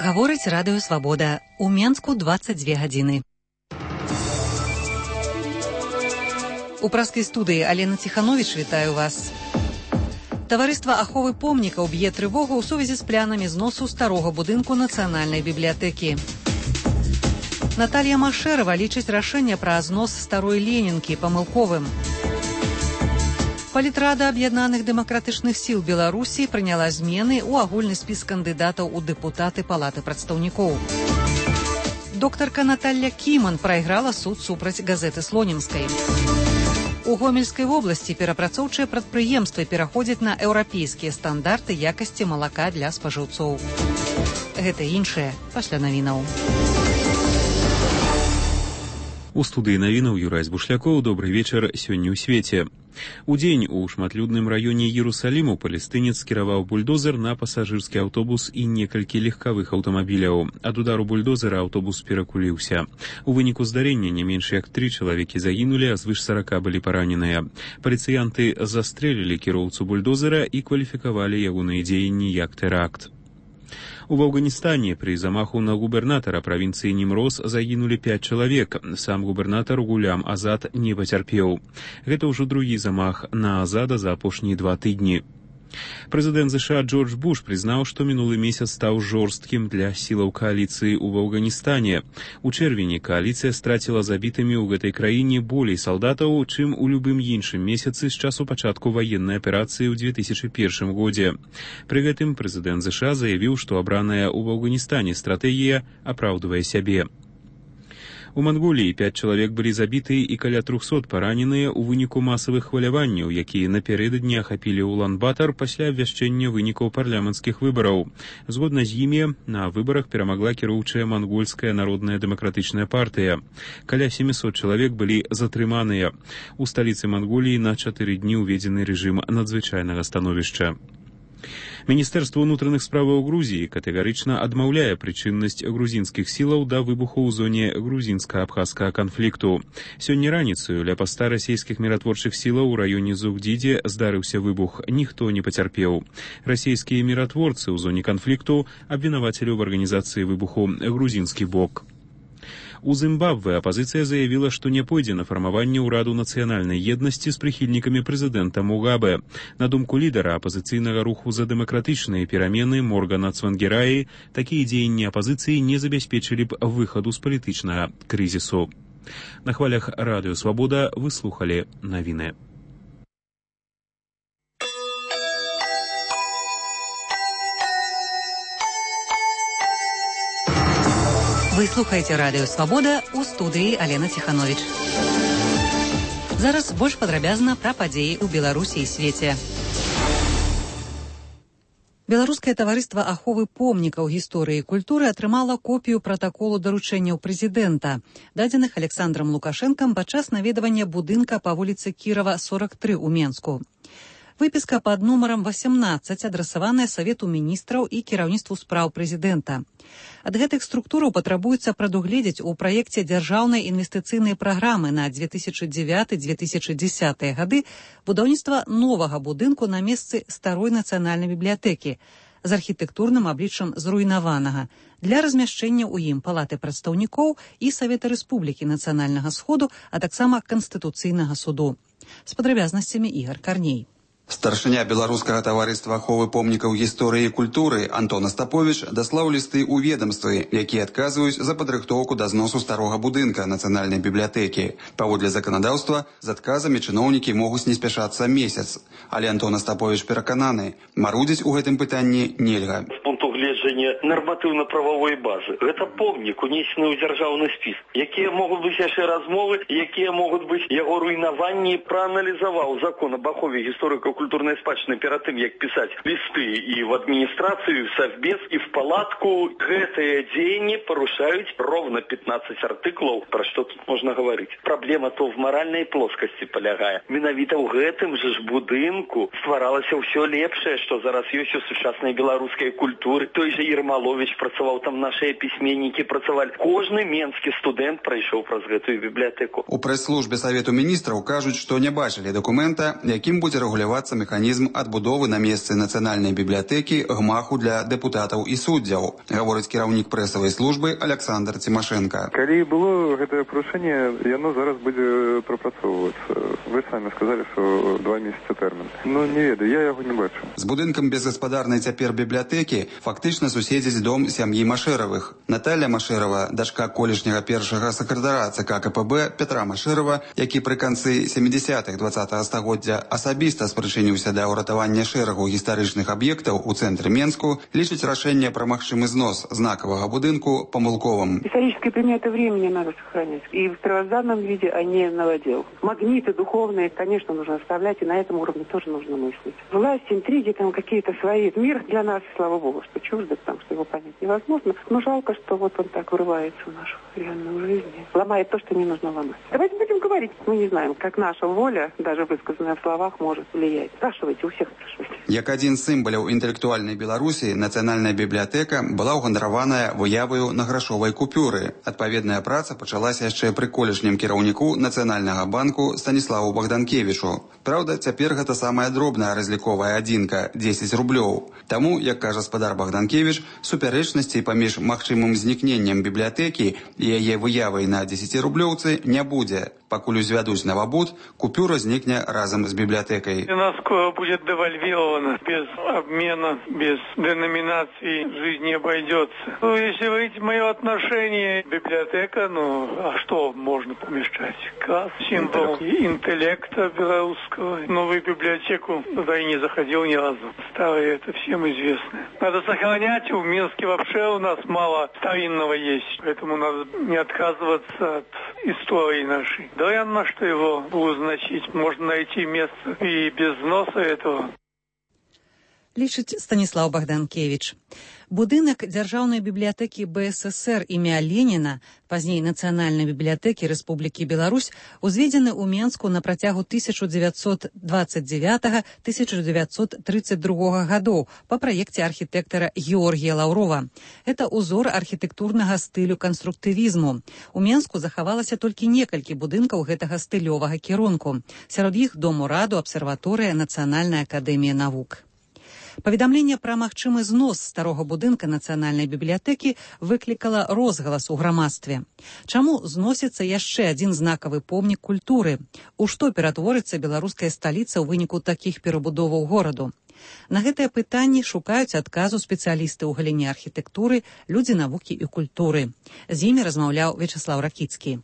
Гаворыць радыё «Свабода». У Менску 22 гадзіны. У праскай студыі Алена Ціхановіч вітаю вас. Таварыства аховы помнікаў б'е трывогу ў сувязі з планамі зносу старога будынку Нацыянальнай бібліятэкі. Наталья Машэрава лічыць рашэнне пра знос старой Ленінкі памылковым. Палітрада аб'яднаных дэмакратычных сіл Беларусі прыняла змены ў агульны спіс кандыдатаў у дэпутаты Палаты прадстаўнікоў. Доктарка Наталья Кіман прайграла суд супраць газеты Слонімскай. У Гомельскай вобласці перапрацоўчыя прадпрыемствы пераходзяць на еўрапейскія стандарты якасці малака для спажыўцоў. Гэта іншае пасля навінаў. У студыі навінаў Юрась Бушлякоў. Добрый вечар сёння ў свеце. Удзень у шматлюдным раёне Іерусаліму палестынец скіраваў бульдозер на пасажырскі аўтобус і некалькі легкавых аўтамабіляў. Ад удару бульдозера аўтобус перакуліўся. У выніку здарэння не менш як 3 чалавекі загінулі, а звыш 40 былі параненыя. Паліцыянты застрэлілі кіроўцу бульдозера і кваліфікавалі ягоныя дзеянні як тэракт. У Афганістане при замаху на губернатара правінцыі Німроз загінулі 5 чалавек. Сам губернатар Гулям Азад не пацярпеў. Гэта ўжо другі замах на Азада за апошнія 2 тыдні. Прэзідэнт США Джордж Буш прызнаў, што мінулы месяц стаў жорсткім для сілаў кааліцыі ў Афганістане. У чэрвені кааліцыя страціла забітымі ў гэтай краіне болей салдатаў, чым у любым іншым месяцы з часу пачатку ваеннай аперацыі ў 2001 годзе. Пры гэтым прэзідэнт США заявіў, што абраная ў Афганістане стратэгія апраўдвае сябе. У Манголіі 5 чалавек былі забіты і каля 300 параненыя ў выніку масавых хваляванняў, якія напярэдадні ахапілі Улан-Батар пасля абвяшчэння вынікаў парламенцкіх выбараў. Згодна з імі, на выбарах перамагла кіроўчая Мангольская народная дэмакратычная партыя. Каля 700 чалавек былі затрыманыя. У сталіцы Манголіі на 4 дні ўведзены рэжым надзвычайнага становішча. Міністэрства ўнутраных справаў Грузіі катэгарычна адмаўляе прычыннасць грузінскіх сілаў да выбуху ў зоне грузінска-абхазскага канфлікту. Сёння раніцаю ля паста расійскіх міратворчых сілаў у раёне Зугдзідзе здарыўся выбух. Ніхто не пацярпеў. Расійскія міратворцы ў зоне канфлікту абвінавацілі ў арганізацыі выбуху грузінскі бок. У Зімбабве апазіцыя заявіла, што не пойдзе на фармаванне ўраду нацыянальнай еднасці з прыхільнікамі прэзідэнта Мугабе. На думку лідара апазіцыйнага руху за дэмакратычныя перамены Моргана Цвангераі, такія дзеянні апазіцыі не забяспечылі б выхаду з палітычнага крызісу. На хвалях радыё «Свабода» вы слухалі навіны. Вы слухаеце радыё «Свабода», у студыі Алена Ціхановіч. Зараз больш падрабязна пра падзеі ў Беларусі і свеце. Беларускае таварыства аховы помнікаў гісторыі і культуры атрымала копію пратаколу даручэнняў прэзідэнта, дадзеных Александрам Лукашэнкам падчас наведвання будынка па вуліцы Кірава, 43 у Менску. Выпіска пад нумарам 18 адрасаваная Савету міністраў і кіраўніцтву спраў прэзідэнта. Ад гэтых структураў патрабуецца прадугледзець у праекце дзяржаўнай інвестыцыйнай праграмы на 2009-2010 гады будаўніцтва новага будынку на месцы старой нацыянальнай бібліятэкі з архітэктурным абліччам зруйнаванага для размяшчэння ў ім Палаты прадстаўнікоў і Савета Рэспублікі Нацыянальнага Сходу, а таксама Канстытуцыйнага суду. З падрабязнасцямі Ігар Карней. Старшыня беларускага таварыства аховы помнікаў гісторыі і культуры Антон Астаповіч даслаў лісты ў ведамствы, якія адказваюць за падрыхтоўку да зносу старога будынка нацыянальнай бібліятэкі. Паводле заканадаўства, з адказамі чыноўнікі могуць не спяшацца месяц. Але Антон Астаповіч перакананы, марудзіць у гэтым пытанні нельга. Нарматыўна-прававой базы. Гэта помнік, унесены ў дзяржаўны спіс. Якія могуць быць яшчэ размовы, якія могуць быць яго руйнаванні, прааналізаваў закон об ахове гісторыка-культурнай спадчыны перад тым, як пісаць лісты і в адміністрацыю, в Совбез і в палатку. Гэтыя дзеянні парушаюць ровно 15 артыклаў, пра што тут можна гаварыць. Праблема то в маральнай плоскасці палягае. Менавіта ў гэтым жа ж будынку стваралася ўсё лепшае, што зараз ёсць у сучаснай беларускай культуры. Той Ермалович працаваў, там нашыя пісьменнікі працавалі. Кожны менскі студэнт прайшоў праз гэтую бібліятэку. У прэс-службе Савету міністраў кажуць, што не бачылі дакумента, якім будзе рэгулявацца механізм адбудовы на месцы нацыянальнай бібліятэкі гмаху для дэпутатаў і суддзяў, гаворыць кіраўнік прэсавай службы Александр Цімашенко. Калі было гэтае парушэнне, яно зараз будзе прапрацоўвацца. Вы самі сказалі, што 2 месяцы тэрмін. Ну, не ведаю, я яго не бачу. З будынкам безгаспадарнай цяпер бібліятэкі фактычна суседзіць дом сям'і Машэравых. Наталя Машэрава, дачка колішняга першага сакратара ЦК КПБ Петра Машэрава, які пры канцы 70-х 20-го стагоддзя асабіста спрычыніўся да ўратавання шэрагу гістарычных аб'ектаў у цэнтры Менску, лічыць рашэнне пра магчымы знос знакавага будынку помылковым. Исторические предметы времени надо сохранять. И в первозданном виде, а не новодел. Магниты духовные, конечно, нужно оставлять, и на этом уровне тоже нужно мыслить. Власть, интриги, там какие-то свои. Мир для нас, слава богу, что чуждо, потому что его понять невозможно. Но жалко, что вот он так врывается в нашу реальную жизнь. Ломает то, что не нужно ломать. Давайте будем говорить. Мы не знаем, как наша воля, даже высказанная в словах, может влиять. Спрашивайте, у всех спрашивайте. Як адзін з сімваляў інтэлектуальнай Беларусі, нацыянальная бібліятэка была ўгандараваная выяваю на грашовай купюры. Адпаведная праца пачалася яшчэ пры колішнім кіраўніку Нацыянальнага банку Станіславу Богданкевічу. Праўда, цяпер гэта самая дробная разліковая адзінка – 10 рублёў. Таму, як кажа спадар Богданкевіч, супярэчнасцей паміж магчымым знікненнем бібліятэкі і яе выявай на 10-рублёўцы не будзе. Пакуль узвядуць новобуд, купюра зникне разом с библиотекой. У нас будет девальвировано, без обмена, без деноминации жизнь не обойдется. Ну, если вы видите мое отношение, библиотека, а что можно помешать? Класс, символ интеллекта белорусского. Новую библиотеку туда и не заходил ни разу. Старые, это всем известно. Надо сохранять, в Минске вообще у нас мало старинного есть, поэтому надо не отказываться от истории нашей. Вероятно, что его значить можно найти место и без взноса этого. Лічыць Станіслаў Богданкевіч. Будынак Дзяржаўнай бібліятэкі БССР імя Леніна, пазней Нацыянальнай бібліятэкі Рэспублікі Беларусь, узведзены ў Менску на працягу 1929-1932 гадоў па праекце архітэктара Георгія Лаўрова. Это ўзор архітэктурнага стылю канструктывізму. У Менску захавалася толькі некалькі будынкаў гэтага стылёвага кірунку. Сярод іх Дом ураду, абсерваторыя, Нацыянальная акадэмія навук. Паведамленне пра магчымы знос старога будынка Нацыянальнай бібліятэкі выклікала розгалас у грамадстве. Чаму зносіцца яшчэ адзін знакавы помнік культуры? У што ператворыцца беларуская сталіца ў выніку такіх перабудоваў гораду? На гэтыя пытанні шукаюць адказу спецыялісты ў галіне архітэктуры, людзі навукі і культуры. З імі размаўляў Вячаслаў Ракіцкі.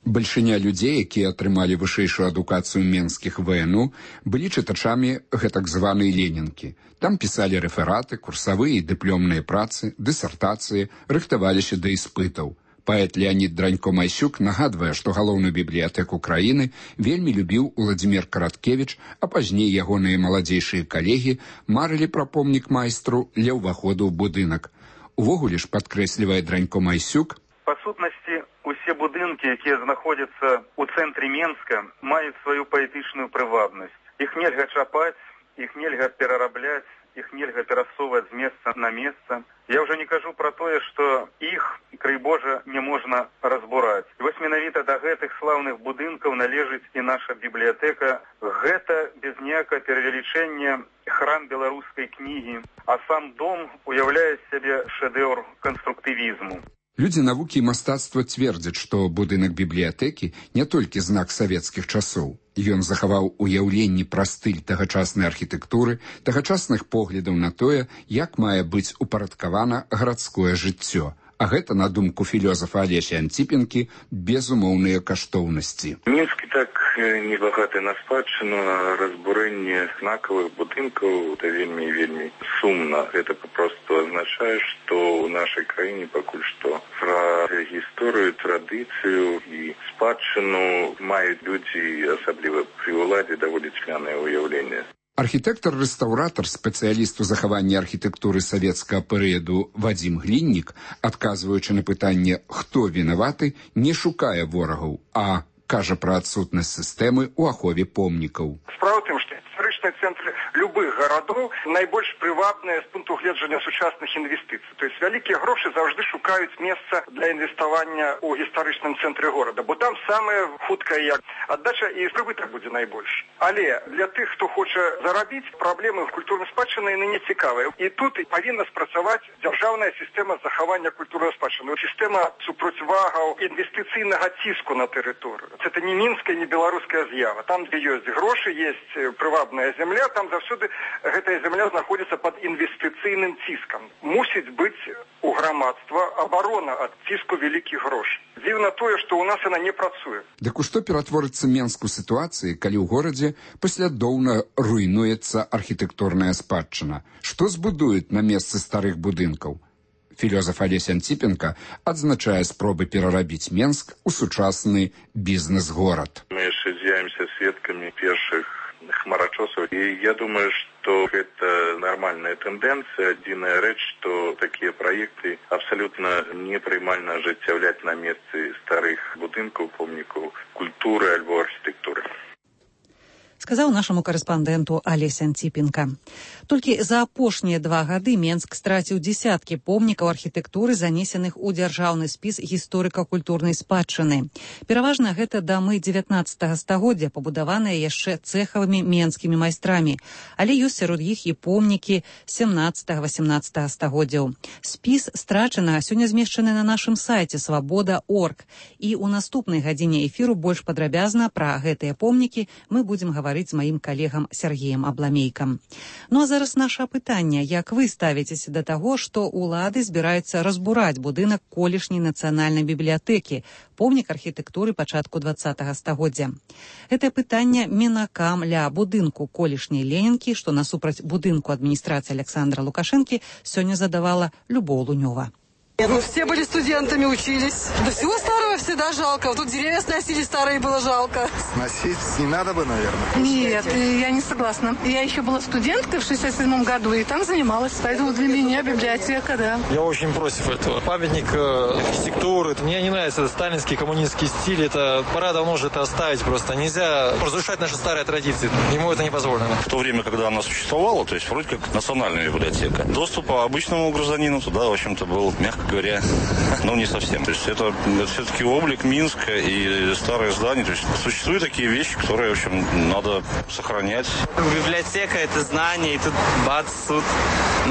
Бальшыня людзей, якія атрымалі вышэйшую адукацыю менскіх ВНУ, былі чытачамі гэтак званай ленінкі. Там пісалі рэфераты, курсавыя і дыплёмныя працы, дысертацыі, рыхтаваліся да іспытаў. Паэт Леонід Дранько-Майсюк нагадвае, што галоўную бібліятэку краіны вельмі любіў Уладзімір Караткевіч, а пазней ягоныя маладзейшыя калегі марылі пра помнік майстру ля ўваходу ў будынак. Увогуле ж, падкрэслівае Дранько-Майсюк, па сутнасці, усе будынкі, якія знаходзяцца ў цэнтры Менска, маюць сваю паэтычную прывабнасць. Іх нельга чапаць, іх нельга перарабляць, іх нельга перасоўваць з месца на месца. Я ўжо не кажу пра тое, што іх, край Божа, не можна разбураць. І вось менавіта да гэтых слаўных будынкаў належыць і наша бібліятэка. Гэта без ніякага перавелічэння храм беларускай кнігі, а сам дом уяўляе сябе шэдэўр канструктывізму. Людзі навукі і мастацтва цвердзяць, што будынак бібліятэкі не толькі знак савецкіх часоў. Ён захаваў уяўленні пра стыль тагачаснай архітэктуры, тагачасных поглядаў на тое, як мае быць упарадкавана гарадское жыццё. А гэта, на думку філёзафа Алеся Анціпенкі, безумоўныя каштоўнасці. Мінск так небагаты на спадчыну, а разбурэнне знакавых будынкаў это вельмі сумна. Гэта папросту азначае, што ў нашай краіне пакуль што пра гісторыю, традыцыю і спадчыну маюць людзі, асабліва пры ўладзе, даволі цьмянае ўяўленне. Архітэктар-рэстаўратар, спецыяліст у захаванні архітэктуры савецкага перыяду Вадзім Гліннік, адказваючы на пытанне «Хто вінаваты?», не шукае ворагаў, а кажа пра адсутнасць сістэмы ў ахове помнікаў. Справа ў тым, што гістарычныя цэнтры любых гарадоў найбольш прывабныя з пункту гледжання сучасных інвестыцый. То есть вялікія грошы заўжды шукаюць месца для інвеставання ў гістарычным цэнтры горада, бо там самая хуткая аддача і прыбытак будзе найбольш. Але для тых, хто хоча зарабіць, праблемы культурнай спадчыны яны не цікавыя. І тут павінна спрацаваць дзяржаўная сістэма захавання культурнай спадчыны, сістэма супроцьвагаў інвестыцыйнага ціску на тэрыторыю. Це не мінская, не беларуская з'ява. Там, дзе ёсць грошы, есть прывабная земля, там заўсёды гэтая земля знаходзіцца пад інвестыцыйным ціскам. Мусіць быць у грамадства абарона ад ціску вялікіх грошай. Дзіўна тое, што ў нас яна не працуе. Дык у што ператворыцца Менск у сітуацыі, калі ў горадзе паслядоўна руйнуецца архітэктурная спадчына? Што збудуюць на месцы старых будынкаў? Філёзаф Алесь Анціпенка адзначае спробы перарабіць Менск у сучасны бізнес-горад. Мы яшчэ з'явімся сведкамі першых хмарачосаў, і я думаю, што гэта нармальная тэндэнцыя. Адзіная рэч, што такія праекты абсалютна непрымальна ажыццяўляць на месцы старых будынкаў, помнікаў культуры альбо архітэктуры. Сказаў нашаму карэспандэнту Алесь Анціпенка. Толькі за апошнія 2 гады Менск страціў дзесяткі помнікаў архітэктуры, занесеных у дзяржаўны спіс гісторыка-культурнай спадчыны. Пераважна гэта дамы 19 стагоддзя, пабудаваныя яшчэ цэхавымі менскімі майстрамі. Але ёсць сярод іх і помнікі 17-18 стагоддзяў. Спіс страчанага сёння змешчаны на нашым сайце свабода.орг. І ў наступнай гадзіне эфіру больш падрабязна пра гэтыя помнікі мы будзем гаварыць з маім калегам Сергеем Абламейкам. Ну а зараз наша пытанне. Як вы ставіцеся да таго, што ўлады збіраюцца разбураць будынак колішняй нацыянальнай бібліятэкі, помнік архітэктуры пачатку 20-го стагоддзя? Гэтае пытанне мінакам ля будынку колішняй Ленінкі, што насупраць будынку адміністрацыі Александра Лукашэнкі, сёння задавала Любоў Лунёва. Ну, все были студентами, учились. Да всего старого всегда жалко. Тут деревья сносили старые, было жалко. Сносить не надо бы, наверное. Нет, я не согласна. Я еще была студенткой в 67 году, и там занималась. Поэтому для меня библиотека, да. Я очень против этого. Памятник архитектуры. Мне не нравится сталинский, коммунистский стиль. Это пора давно уже это оставить просто. Нельзя разрушать наши старые традиции. Ему это не позволено. В то время, когда она существовала, то есть вроде как национальная библиотека, доступ обычному гражданину туда, в общем-то, был, мягко говоря, ну не совсем. То есть это все-таки облик Минска и старое здание. То есть существуют такие вещи, которые, в общем, надо сохранять. Библиотека — это знание, и тут бац, суд.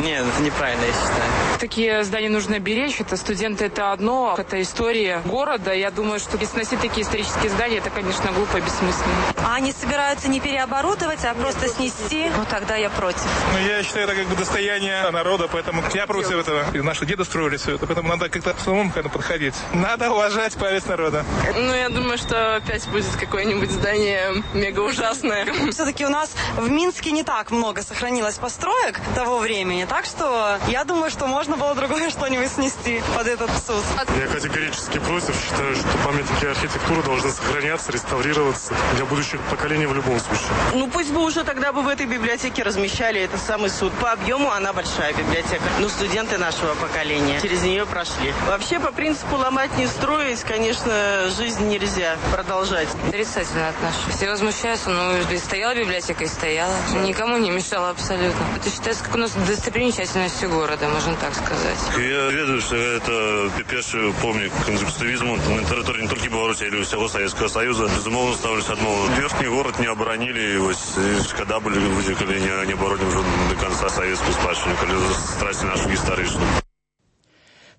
Нет, это неправильно, я считаю. Такие здания нужно беречь. Это студенты — это одно, это история города. Я думаю, что сносить такие исторические здания, это, конечно, глупо и бессмысленно. А они собираются не переоборудовать, а просто снести? Ну, тогда я против. Ну, я считаю, это как бы достояние народа, поэтому я против этого. И наши деды строили все это, поэтому надо как-то самому подходить. Надо уважать память народа. Ну, я думаю, что опять будет какое-нибудь здание мега ужасное. Все-таки у нас в Минске не так много сохранилось построек того времени, так что я думаю, что можно было другое что-нибудь снести под этот суд. Я категорически против. Считаю, что памятники архитектуры должны сохраняться, реставрироваться для будущих поколений в любом случае. Ну, пусть бы уже тогда бы в этой библиотеке размещали этот самый суд. По объему она большая библиотека. Ну, студенты нашего поколения через нее прошли. Вообще, по принципу ломать не строить, конечно, жизнь нельзя продолжать. Отрицательно отношусь. Все возмущаются, но стояла библиотека и стояла. Никому не мешала абсолютно. Это считается как у нас достопримечательностью города, можно так сказать. Я ведаю, что это перший помнік конструктивизму на території не тільки Білорусі, але й всього Советского Союза. Безумовно, ставлюся одного. Верхний город не оборонили, ось шкода були люди, коли не оборонили вже до конца советскую спадщину, коли страсти нашу історичну.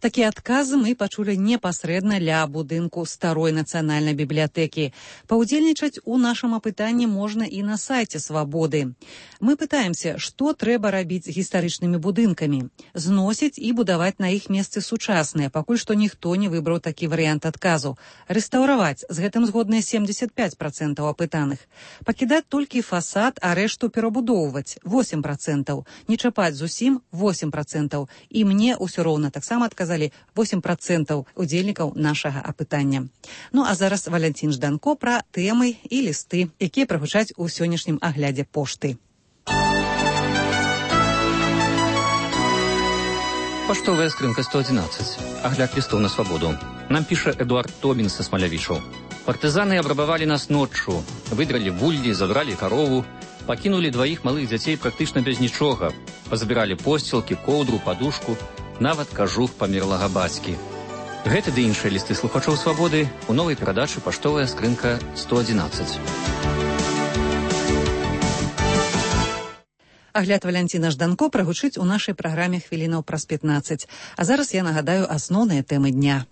Такія адказы мы пачулі непасрэдна ля будынку старой нацыянальнай бібліятэкі. Паўдзельнічаць у нашым апытанні можна і на сайце Свабоды. Мы пытаемся, што трэба рабіць з гістарычнымі будынкамі. Зносіць і будаваць на іх месцы сучасныя, пакуль што ніхто не выбраў такі варыянт адказу. Рэстаўраваць, з гэтым згодныя 75% апытаных. Пакідаць толькі фасад, а рэшту перабудоўваць 8%. Не чапаць зусім 8%. І мне ўсё роўна таксама адказаць 8% удзельнікаў нашага апытання. Ну а зараз Валянцін Жданко пра тэмы і лісты, якія прагучаць у сённяшнім аглядзе пошты. Поштовая скрынка 111. Агляд листов на свободу. Нам пишет Эдуард Тобин со Смолявишу. Партизаны обрабовали нас ночью. Выдрали вульи, забрали корову. Пакінулі дваіх малых дзяцей практычна без нічога. Пазабіралі посцілкі, коўдру, падушку, нават кажух памерлага бацькі. Гэты ды іншыя лісты слухачоў «Свабоды» у новай перадачы «Паштовая скрынка 111». Агляд Валянціна Жданко прагучыць у нашай праграме хвілінаў праз 15. А зараз я нагадаю асноўныя тэмы дня.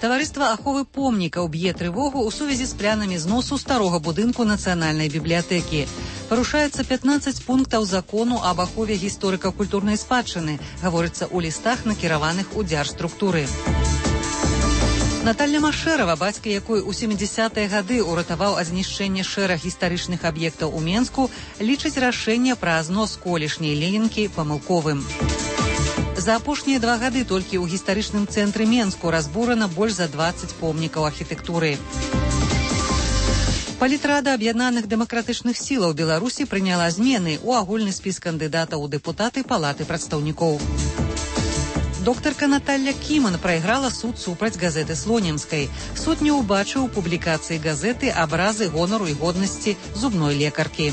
Таварыства аховы помнікаў б'е трывогу ў сувязі з планамі зносу старога будынку Нацыянальнай бібліятэкі. Парушаецца 15 пунктаў закону аб ахове гісторыка-культурнай спадчыны, гаворыцца ў лістах, накіраваных у дзяржструктуры. Наталья Машэрава, бацька якой у 70-е гады ўратаваў ад знішчэння шэраг гістарычных аб'ектаў у Менску, лічыць рашэнне пра знос колішняй Ленінкі памылковым. За апошнія 2 гады толькі ў гістарычным цэнтры Менску разбурана больш за 20 помнікаў архітэктуры. Палітрада аб'яднаных дэмакратычных сілаў Беларусі прыняла змены ў агульны спіс кандыдатаў у дэпутаты Палаты прадстаўнікоў. Доктарка Наталья Кіман прайграла суд супраць газеты Слонімскай. Суд не ўбачыў у публікацыі газеты абразы гонару і годнасці зубной лекаркі.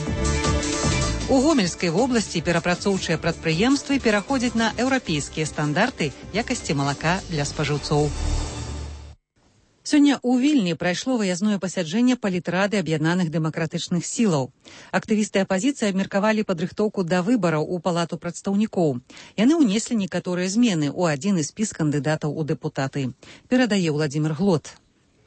У Гомельскай вобласці перапрацоўчыя прадпрыемствы пераходзяць на еўрапейскія стандарты якасці малака для спажыўцоў. Сёння ў Вільні прайшло выязное пасяджэнне палітрады аб'яднаных дэмакратычных сілаў. Актывісты апазіцыі абмеркавалі падрыхтоўку да выбараў у Палату прадстаўнікоў. Яны ўнеслі некаторыя змены ў адзіны спіс кандыдатаў у дэпутаты. Перадае Владзімир Глот.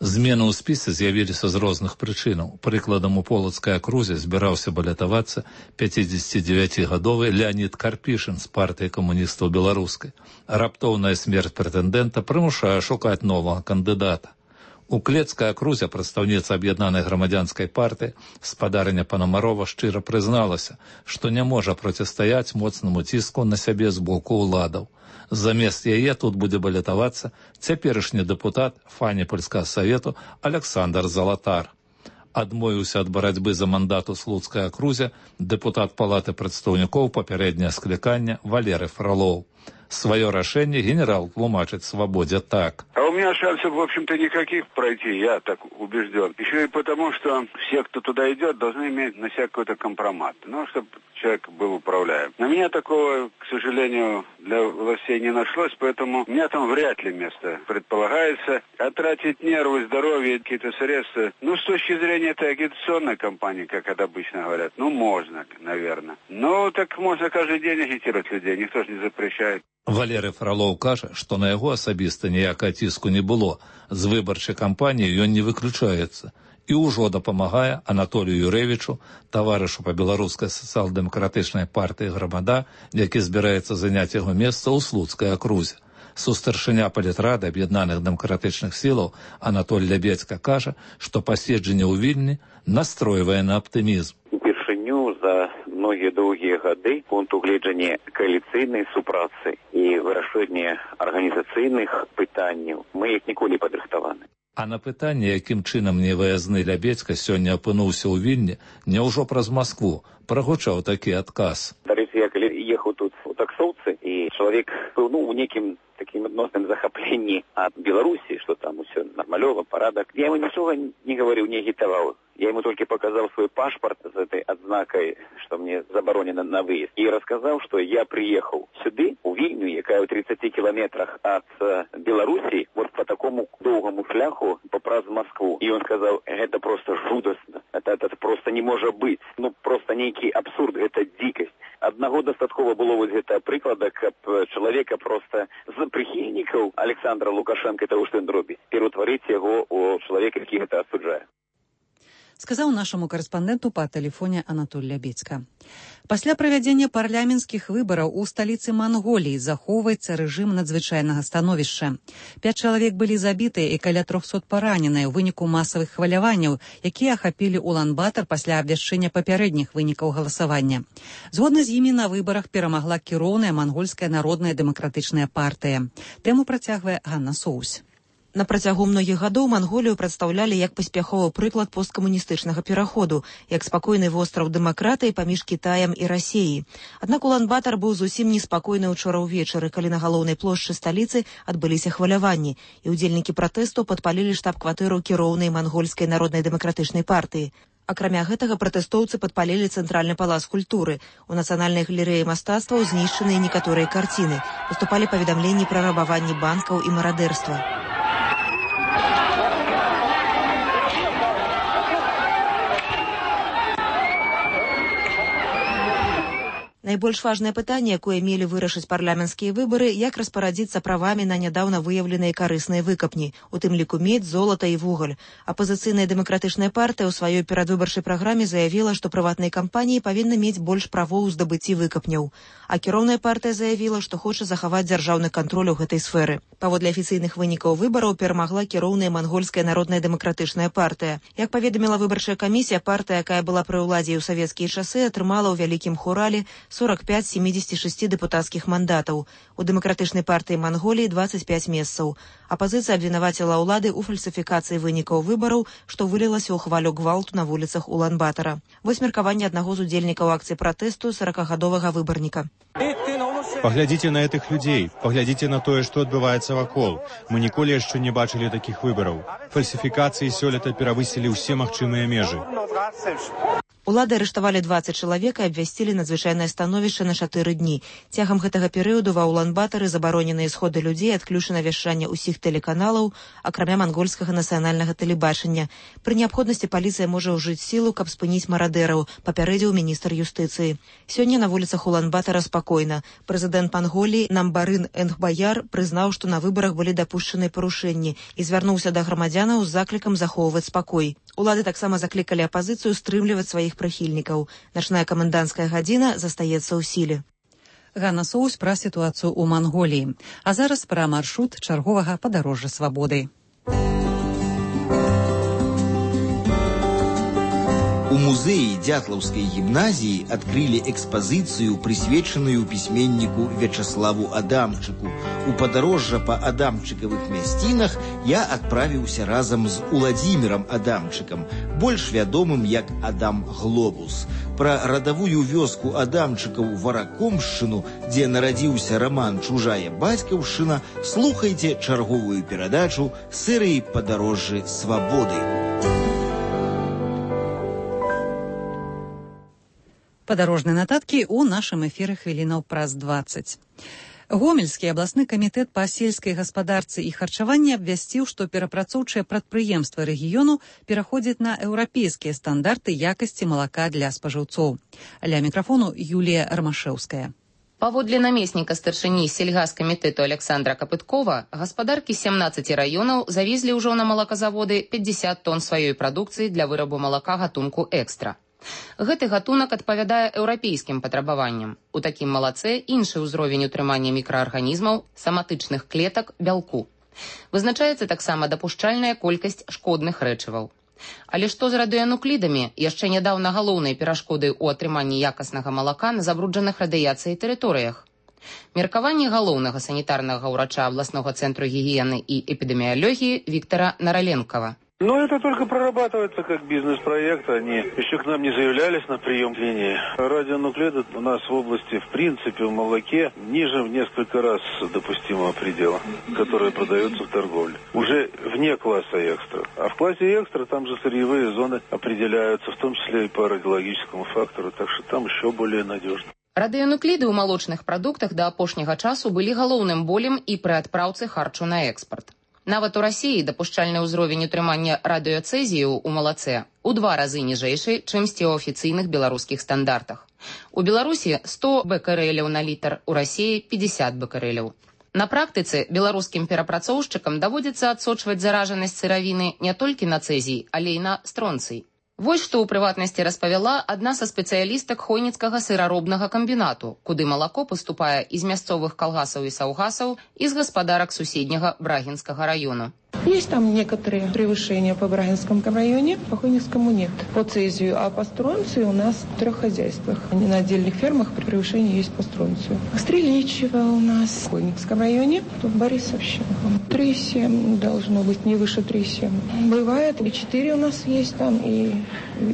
Змены ў спісе з'явіліся з розных прычынаў. Прыкладам, у Полацкай акрузе збіраўся балятавацца 59-гадовы Леонід Карпішын з партыі камуністаў беларускай. Раптоўная смерць прэтэндэнта прымушае шукаць новага кандыдата. У Клецкай акрузе прадстаўніца аб'яднанай грамадзянскай партыі спадарня Панамарова шчыра прызналася, што не можа процістаяць моцнаму ціску на сябе з боку ўладаў. Замест яе тут будзе балятавацца цяперашні дэпутат Фаніпольскага савету Александр Залатар. Адмовіўся ад барацьбы за мандат у Слуцкай акрузе дэпутат Палаты прадстаўнікоў папярэдняе склікання Валерый Фролов. Свое решение генерал тлумачит «Свободе» так. А у меня шансов, в общем-то, никаких пройти, я так убежден. Еще и потому, что все, кто туда идет, должны иметь на себя какой-то компромат. Ну, чтобы человек был управляем. На меня такого, к сожалению, для властей не нашлось, поэтому у меня там вряд ли место предполагается. А тратить нервы, здоровье, какие-то средства, ну, с точки зрения этой агитационной кампании, как это обычно говорят, ну, можно, наверное. Ну, так можно каждый день агитировать людей, никто же не запрещает. Валерый Фролов кажа, што на яго асабіста ніякага ціску не было. З выбарчай кампаніі ён не выключаецца. І ўжо дапамагае Анатолію Юрэвічу, таварышу па беларускай сацыял-дэмакратычнай партыі «Грамада», які збіраецца заняць яго месца ў Слуцкай акрузе. Сустаршыня палітрады аб'яднаных дэмакратычных сілаў Анатоль Лябедзька кажа, што паседжанне ў Вільні настройвае на аптымізм. Упершыню за многія доўгія гады пункт угледжання кааліцыйнай супрацы і вырашэння арганізацыйных пытанняў мы як ніколі падрыхтаваны. А на пытанне, якім чынам невыязны Лябедзька сёння апынуўся ў Вільні, няўжо праз Маскву, прагучаў такі адказ. Дарэчы, я калі ехаў тут у таксоўцы, і чалавек быў у некім такім адносным захапленні ад Беларусі, што там усё нармалёва, парадак. Я ему нічога не гаварыў, не агітаваў. Я ему только показал свой паспорт с этой отзнакой, что мне заборонено на выезд. И рассказал, что я приехал сюда, у Вильню, якая в 30 километрах от Беларуси, вот по такому долгому шляху, поправ Москву. И он сказал, это просто жудостно, это просто не может быть. Ну, просто некий абсурд, это дикость. Одного достатково было вот это приклада, как человека просто з прихильников Александра Лукашенко, того, что он робит, перетворить его у человека, який это осуджает. Сказаў нашаму карэспандэнту па тэлефоне Анатоль Лябедзька. Пасля правядзення парламенцкіх выбараў у сталіцы Манголіі захоўваецца рэжым надзвычайнага становішча. 5 чалавек былі забітыя і каля 300 параненыя ў выніку масавых хваляванняў, якія ахапілі Улан-Батар пасля абвяшчэння папярэдніх вынікаў галасавання. Згодна з імі на выбарах перамагла кіроўная мангольская народная дэмакратычная партыя. Тэму працягвае Ганна Соусь. На працягу многіх гадоў Манголію прадстаўлялі як паспяховы прыклад посткамуністычнага пераходу, як спакойны востраў дэмакратыі паміж Кітаем і Расіяй. Аднак Улан-Батар быў зусім неспакойны ўчора ўвечары, калі на галоўнай плошчы сталіцы адбыліся хваляванні, і ўдзельнікі пратэсту падпалілі штаб-кватэру кіроўнай мангольскай народнай дэмакратычнай партыі. Акрамя гэтага, пратэстоўцы падпалілі цэнтральны палац культуры. У нацыянальнай галерэі мастацтваў знішчаныя некаторыя карціны. Паступалі паведамленні пра рабаванні банкаў і марадэрства. Найбольш важнае пытанне, якое мелі вырашыць парламенцкія выбары, як распарадзіцца правамі на нядаўна выяўленыя карысныя выкапні, у тым ліку медзь, золата і вугаль. Апазіцыйная дэмакратычная партыя ў сваёй перадвыбарчай праграме заявіла, што прыватныя кампаніі павінны мець больш правоў у здабыцці выкапняў. А кіроўная партыя заявіла, што хоча захаваць дзяржаўны кантроль у гэтай сферы. Паводле афіцыйных вынікаў выбараў перамагла кіроўная мангольская народная дэмакратычная партыя. Як паведаміла выбарчая камісія, партыя, якая была пры ўладзе ў савецкія часы, атрымала ў вялікім хурале 45 з 76 дэпутацкіх мандатаў. У дэмакратычнай партыі Манголіі 25 месцаў. Апазіцыя абвінаваціла ўлады ў фальсіфікацыі вынікаў выбараў, што вылілася ў хвалю гвалту на вуліцах Улан-Батара. Вось меркаванне аднаго з удзельнікаў акцыі пратэсту 40-гадовага выбарніка. Паглядзіце на гэтых людзей, паглядзіце на тое, што адбываецца вакол. Мы ніколі яшчэ не бачылі такіх выбараў. Фальсіфікацыі сёлета перавысілі ўсе магчымыя межы. Улады арыштавалі 20 чалавек і абвясцілі надзвычайнае становішча на 4 дні. Цягам гэтага перыяду ва Улан-Батары забароненыя сходы людзей, адключана вяшчанне ўсіх тэлеканалаў, акрамя мангольскага нацыянальнага тэлебачання. Пры неабходнасці паліцыя можа ўжыць сілу, каб спыніць марадэраў, папярэдзіў міністр юстыцыі. Сёння на вуліцах Улан-Батара спакойна. Прэзідэнт Манголіі Намбарын Энгбаяр прызнаў, што на выбарах былі дапушчаныя парушэнні і звярнуўся да грамадзянаў з заклікам захоўваць спакой. Улады таксама заклікалі апазіцыю стрымліваць сваіх прыхільнікаў. Начная каменданцкая гадзіна застаецца ў сіле. Ганна Соус пра сітуацыю ў Манголіі. А зараз пра маршрут чарговага падарожжа свабоды. У музеі Дятлаўскай гімназіі адкрылі экспазіцыю, прысвечаную пісьменніку Вячаславу Адамчыку. У падарожжа па адамчыкавых мясцінах я адправіўся разам з Уладзімірам Адамчыкам, больш вядомым як Адам Глобус. Пра радавую вёску Адамчыкаў Варакомшчыну, дзе нарадзіўся раман «Чужая бацькаўшчына», слухайце чарговую перадачу серыі «Падарожжы свабоды». Падарожныя нататкі ў нашым эфіры хвілінаў праз 20. Гомельскі абласны камітэт па сельскай гаспадарцы і харчаванні абвясціў, што перапрацоўчыя прадпрыемствы рэгіёну пераходзяць на еўрапейскія стандарты якасці малака для спажыўцоў. Ля мікрафону Юлія Рамашэўская. Паводле намесніка старшыні сельгаскамітэту Александра Капыткова, гаспадаркі 17 раёнаў завезлі ўжо на малаказаводы 50 тонн сваёй прадукцыі для вырабу малака гатунку экстра. Гэты гатунак адпавядае еўрапейскім патрабаванням. У такім малаце іншы ўзровень утрымання мікраарганізмаў, саматычных клетак, бялку. Вызначаецца таксама дапушчальная колькасць шкодных рэчываў. Але што з радыянуклідамі, яшчэ нядаўна галоўнай перашкодай у атрыманні якаснага малака на забруджаных радыяцыяй тэрыторыях? Меркаванне галоўнага санітарнага ўрача абласнога цэнтру гігіены і эпідэміялогіі Віктора Нараленкова. Но это только прорабатывается как бизнес-проект. Они еще к нам не заявлялись на прием к линии. Радионуклиды у нас в области, в принципе, в молоке ниже в несколько раз допустимого предела, которые продаются в торговле. Уже вне класса экстра. А в классе экстра там же сырьевые зоны определяются, в том числе и по радиологическому фактору, так что там еще более надежно. Радыянукліды ў малочных прадуктах да апошняга часу былі галоўным болем і пры адпраўцы харчу на экспарт. Нават у Расіі дапушчальны ўзровень утрымання радыёцэзію ў малаце ў 2 разы ніжэйшы, чымсьці ў афіцыйных беларускіх стандартах. У Беларусі 100 бекэрэляў на літр, у Расіі 50 бекэрэляў. На практыцы беларускім перапрацоўшчыкам даводзіцца адсочваць заражанасць сыравіны не толькі на цэзій, але і на стронцый. Вось што ў прыватнасці распавяла адна са спецыялістак хойніцкага сыраробнага камбінату, куды малако паступае з мясцовых калгасаў і саўгасаў і з гаспадарак суседняга Брагінскага раёну. Есть там некоторые превышения по Брагинскому районе, по Хойницкому нет. По цезию, а по стронцию у нас в 3 хозяйствах. На отдельных фермах превышение есть по стронцию. Стреличево у нас в Хойницком районе, в Борисовщине. 3,7 должно быть, не выше 3,7. Бывает, и 4 у нас есть там, и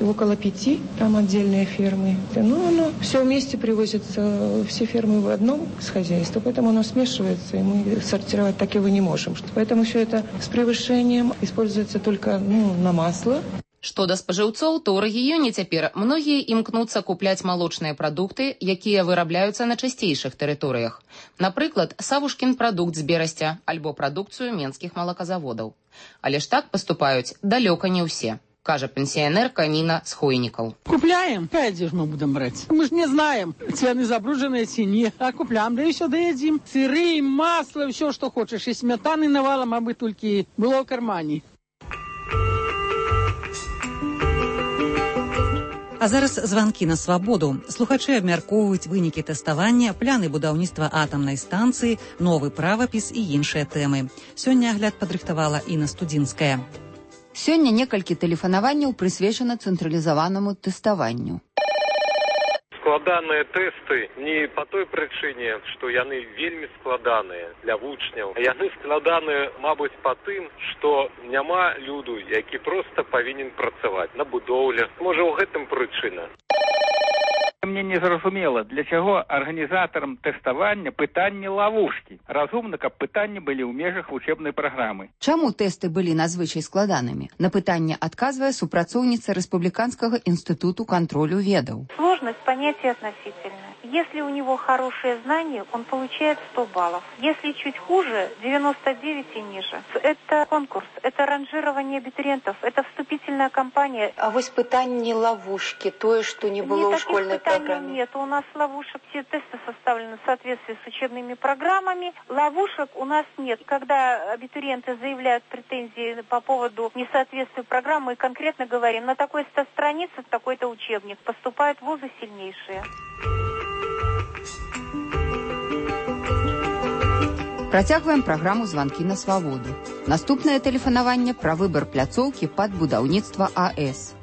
около 5 там отдельные фермы. Но оно все вместе привозится, все фермы в одном с хозяйства, поэтому оно смешивается, и мы сортировать так его не можем. Поэтому все это с превышением используется только на масло. Што да спажыўцоў, то ў рэгіёне цяпер многія імкнуцца купляць малочныя прадукты, якія вырабляюцца на чысцейшых тэрыторыях. Напрыклад, Савушкін прадукт з Берасця альбо прадукцыю менскіх малаказаводаў. Але ж так паступаюць далёка не ўсе, кажа пенсіянерка Ніна з Хойнікаў. Купляем? Дзе ж мы будем брать? Мы ж не знаем, цены забрудженные ці не. А купляем, да и все доедим. Сыры, масло, все, что хочешь. И сметаны навалом, аби толькі было в кармане. А зараз званкі на свабоду. Слухачы абмяркоўваюць вынікі тэставання, пляны будаўніцтва атамнай станцыі, новы правапіс і іншыя тэмы. Сёння агляд падрыхтавала Інна Студзінская. Сёння некалькі тэлефанаванняў прысвечана цэнтралізаванаму тэставанню. Складаныя тэсты не па той прычыне, што яны вельмі складаныя для вучняў. Яны складаныя, мабыць, па тым, што няма люду, які проста павінен працаваць на будоўлях. Можа, у гэтым прычына. Мне не зразумела, для чаго арганізатарам тэставання пытанні лавушкі. Разумна, каб пытанні былі ў межах вучэбнай праграмы. Чаму тэсты былі надзвычай складанымі? На пытанне адказвае супрацоўніца Рэспубліканскага інстытуту кантролю ведаў. Сложность понятия относительная. Если у него хорошие знания, он получает 100 баллов. Если чуть хуже, 99 и ниже. Это конкурс, это ранжирование абитуриентов, это вступительная кампания. А вось пытанні лавушкі, тое, што не было ў школьнай программе? Нет, у нас ловушек, все тесты составлены в соответствии с учебными программами. Ловушек у нас нет. Когда абитуриенты заявляют претензии по поводу несоответствия программы, мы конкретно говорим, на такой-то странице такой-то учебник. Поступают вузы сильнейшие. Працягваем праграму «Званкі на свабоду». Наступнае тэлефанаванне пра выбар пляцоўкі пад будаўніцтва АЭС.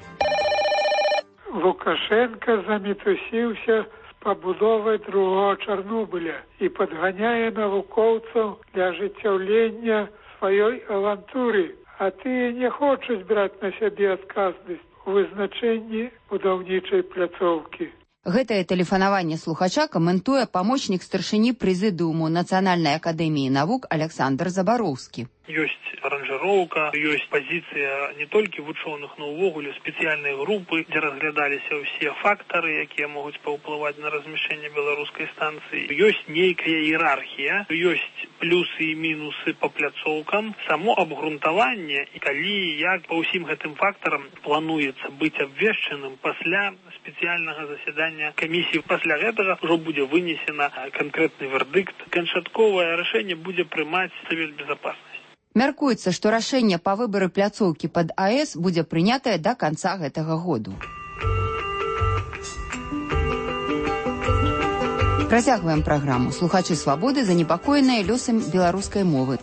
Лукашенко замітусіўся з пабудовай другого Чарнобыля і падганяе навукоўцаў для ажыццяўлення сваёй авантуры, а тыя не хочуць браць на сябе адказнасць у вызначэнні будаўнічай пляцоўкі. Гэтае тэлефанаванне слухача каментуе памочнік старшыні прэзідыуму Нацыянальнай акадэміі навук Александр Забароўскі. Ёсць аранжыроўка, ёсць пазіцыя не толькі вучоных, но ўвогуле спецыяльнай групы, дзе разглядаліся ўсе фактары, якія могуць паўплываць на размяшчэнне беларускай станцыі. Ёсць нейкая іерархія, ёсць плюсы і мінусы па пляцоўкам. Само абгрунтаванне, і калі як па ўсім гэтым фактарам плануецца быць абвешчаным пасля спецыяльнага засядання камісіі. Пасля гэтага ўжо будзе вынесена канкрэтны вердыкт. Канчатковае рашэнне будзе прымаць Савет Безопасности. Мяркуецца, што рашэнне па выбары пляцоўкі пад АЭС будзе прынятае да канца гэтага году. Працягваем праграму. Слухачы свабоды занепакоеныя лёсам беларускай мовы.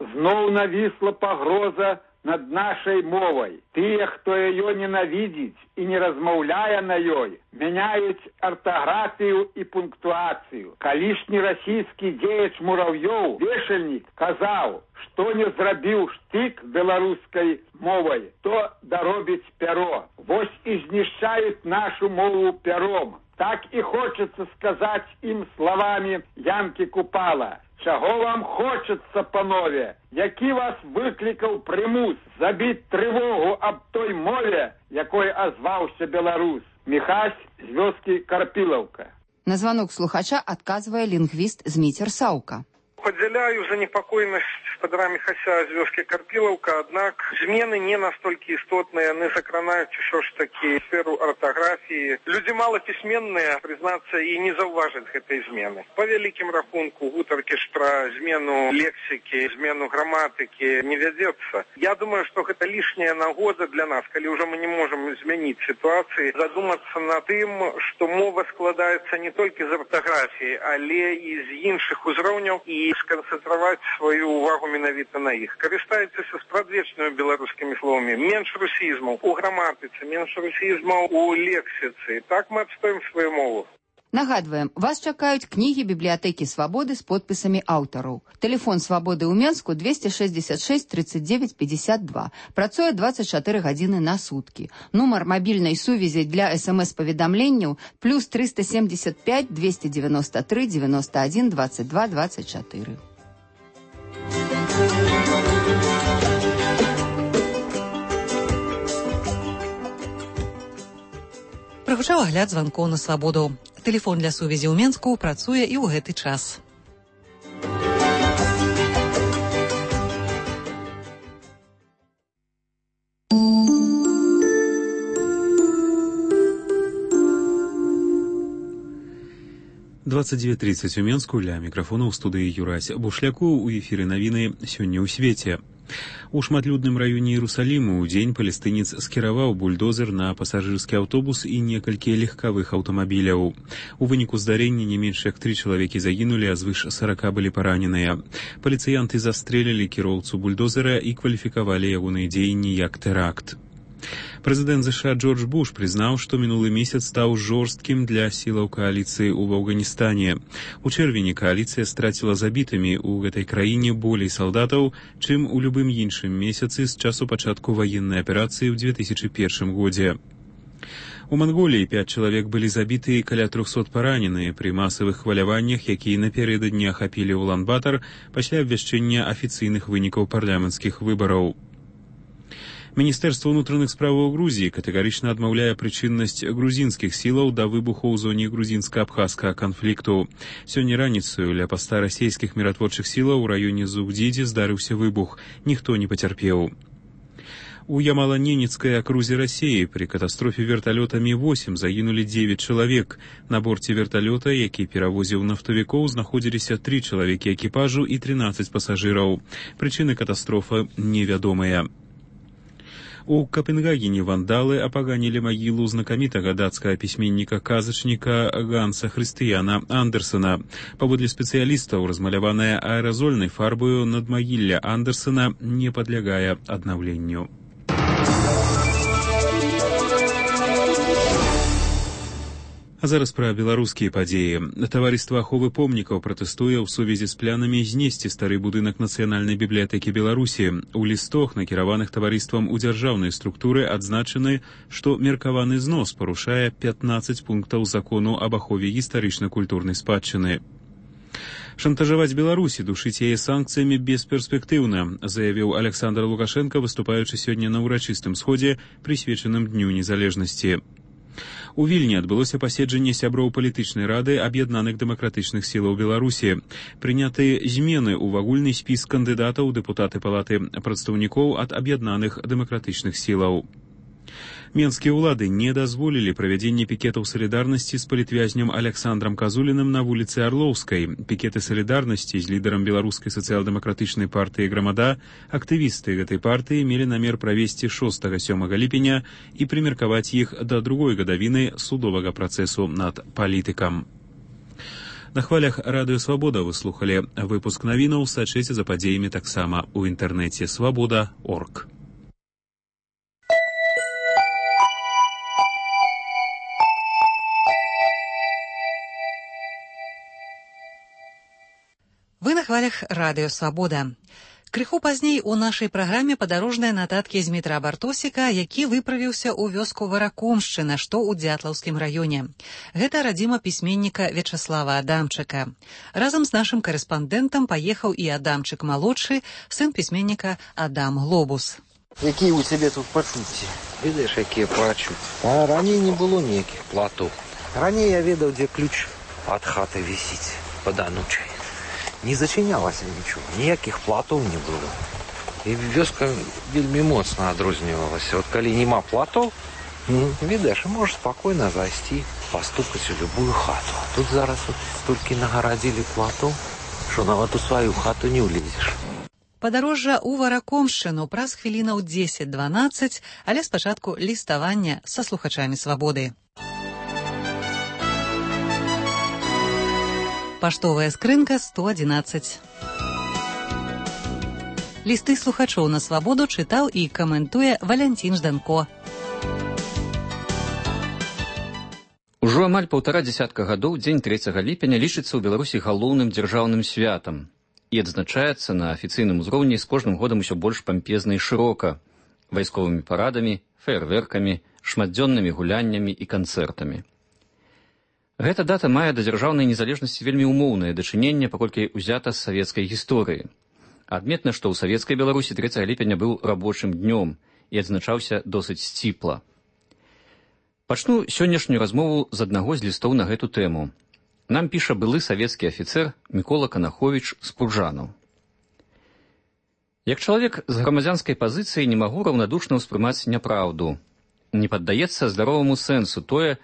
Зноў навісла пагроза над нашай мовай. Тыя, хто яе ненавідзіць і не размаўляе на ёй, мяняюць артаграфію і пунктуацыю. Калішні расійскі дзеяч Мурав'ёў, вешальнік, казаў, што не зрабіў штык беларускай мовай, то даробіць пяро. Вось і знішчаюць нашу мову пяром. Так і хочацца сказаць ім словамі Янкі Купала. Чаго вам хочацца, панове? Які вас выклікаў прымус забіць трывогу аб той мове, якой азваўся беларус? Міхась з вёскі Карпілаўка. На званок слухача адказвае лінгвіст Зміцер Саўка. Подзяляю занепокоенность господара Михася з вёскі Карпілаўка, аднак змены не настолькі істотныя, яны закранаюць усё ж такі сферу артаграфіі. Людзі малапісьменныя, прызнацца, і не заўважаць гэтай змены. Па вялікім рахунку гутаркі ж пра змену лексікі, змену граматыкі не вядзецца. Я думаю, што гэта лішняя нагода для нас, калі ўжо мы не можам змяніць сітуацыі, задумацца над тым, што мова складаецца не толькі з артаграфіі, але і з іншых узроўняў, і сканцэнтраваць сваю увагу менавіта на іх. Карыстайцеся спрадвечнымі беларускімі словамі. Менш русізмаў у граматыцы, менш русізмаў у лексіцы. Так мы адстаем сваю мову. Нагадваем, вас чакаюць кнігі бібліятэкі «Свабоды» з подпісамі аўтараў. Тэлефон «Свабоды» ў Менску 266 39 52. Працуе 24 гадзіны на суткі. Нумар мабільнай сувязі для СМС-паведамленняў плюс 375 293 91 22 24. Прагучаў агляд званкоў на свабоду. Тэлефон для сувязі ў Менску працуе і ў гэты час. «29:30 у Менску», ля мікрафона ў студыі Юрась Бушляку, у эфіры навіны «Сёння ў свеце». У шматлюдным раёне Іерусаліму ў дзень палестынец скіраваў бульдозер на пасажырскі аўтобус і некалькі легкавых аўтамабіляў. У выніку здарэння не менш як 3 чалавекі загінулі, а звыш 40 былі параненыя. Паліцыянты застрэлілі кіроўцу бульдозера і кваліфікавалі ягоныя дзеянні як тэракт. Прэзідэнт ЗША Джордж Буш прызнаў, што мінулы месяц стаў жорсткім для сілаў кааліцыі ў Афганістане. У чэрвені кааліцыя страціла забітымі ў гэтай краіне болей салдатаў, чым у любым іншым месяцы з часу пачатку ваеннай аперацыі ў 2001 годзе. У Манголіі 5 чалавек былі забіты і каля 300 параненыя пры масавых хваляваннях, якія напярэдадні ахапілі Улан-Батар пасля абвяшчэння афіцыйных вынікаў парламенцкіх выбараў. Міністэрства ўнутраных справаў Грузіі катэгарычна адмаўляе прычыннасць грузінскіх сілаў да выбуху ў зоне грузінска-абхазскага канфлікту. Сёння раніцаю ля паста расійскіх міратворчых сілаў у раёне Зугдзідзе здарыўся выбух. Ніхто не пацярпеў. У Ямала-Ненецкай акрузе Расіі пры катастрофе верталёта Ми-8 загінулі 9 чалавек. На борце верталёта, які перавозіў нафтавікоў, знаходзіліся 3 чалавекі экіпажу і 13 пасажыраў. Прычыны катастрофы невядомыя. У Капенгагене вандалы апаганілі магілу знакамітага дацкага пісьменніка-казачніка Ганса Хрыстыяна Андерсена. Паводле спецыялістаў, размаляваная аэразольнай фарбою надмагілля Андерсена не падлягае аднаўленню. А зараз пра беларускія падзеі. Таварыства аховы помнікаў пратэстуе ў сувязі з планамі знесці стары будынак Нацыянальнай бібліятэкі Беларусі. У лістах, накіраваных таварыствам у дзяржаўнай структуры, адзначаны, што меркаваны знос парушае 15 пунктаў закону аб ахове гістарычна-культурнай спадчыны. Шантажаваць Беларусі, душыць яе санкцыямі бесперспектыўна, заявіў Александр Лукашенко, выступаючы сёння на ўрачыстым сходзе, прысвечаным Дню незалежнасці. У Вільні адбылося паседжанне сяброў палітычнай рады аб'яднаных дэмакратычных сілаў Беларусі. Прыняты змены ў агульны спіс кандыдатаў дэпутаты палаты прадстаўнікоў ад аб'яднаных дэмакратычных сілаў. Менскія ўлады не дазволілі правядзенне пікетаў салідарнасці з палітвязням Александрам Казуліным на вуліцы Арлоўскай. Пікеты салідарнасці з лідарам беларускай сацыял-дэмакратычнай партыі «Грамада» актывісты гэтай партыі мелі намер правесці 6-7 ліпеня і прымеркаваць іх да другой гадавіны судовага працэсу над палітыкам. На хвалях радыё «Свабода» вы слухалі выпуск навінаў, сачыце за падзеямі таксама ў інтэрнэце «Свабода.орг». Вы на хвалях радыё «Свабода». Крыху пазней у нашай праграме падарожныя нататкі з Дмітра Бартосіка, які выправіўся ў вёску Варакомшчына, што ў Дзятлаўскім раёне. Гэта радзіма пісьменніка Вячаслава Адамчыка. Разам з нашым карэспандэнтам паехаў і Адамчык-малодшы, сын пісьменніка Адам Глобус. Якія ў цябе тут пачуцці? Ведаеш, якія пачуцці? А раней не было ніякіх платоў. Раней я ведаў, дзе ключ ад хаты вісіць пад анучай. Не зачынялася нічого, ніякіх платоў не было. І вёска вельмі моцна адрознівалася. От калі няма платоў, відаеш, можаш спакойна зайсці, пастукаць у любую хату. Тут зараз толькі нагарадзілі платоў, што нават у сваю хату не ўлезеш. Падарожжа ў Варакомшчыну праз хвілінаў 10-12, але спачатку ліставання са слухачамі «Свабоды». Паштовая скрынка 111. Лісты слухачоў на «Свабоду» чытаў і каментуе Валянцін Жданко. Ужо Ужо амаль 1,5 гадоў дзень 3 ліпеня лічыцца ў Беларусі галоўным дзяржаўным святам і адзначаецца на афіцыйным узроўні з кожным годам усё больш пампезна і шырока, вайсковымі парадамі, феерверкамі, шматдзённымі гуляннямі і канцэртамі. Гэта дата мае да дзяржаўнай незалежнасці вельмі ўмоўнае дачыненне, паколькі ўзята з савецкай гісторыі. Адметна, што ў савецкай Беларусі 3 ліпеня быў рабочым днём і адзначаўся досыць сціпла. Пачну сённяшнюю размову з аднаго з лістоў на гэту тэму. Нам піша былы савецкі афіцэр Мікола Канаховіч з Пружанаў. Як чалавек з грамадзянскай пазіцыі не магу раўнадушна ўспрымаць няпраўду. Не паддаецца здароваму сэнсу тое,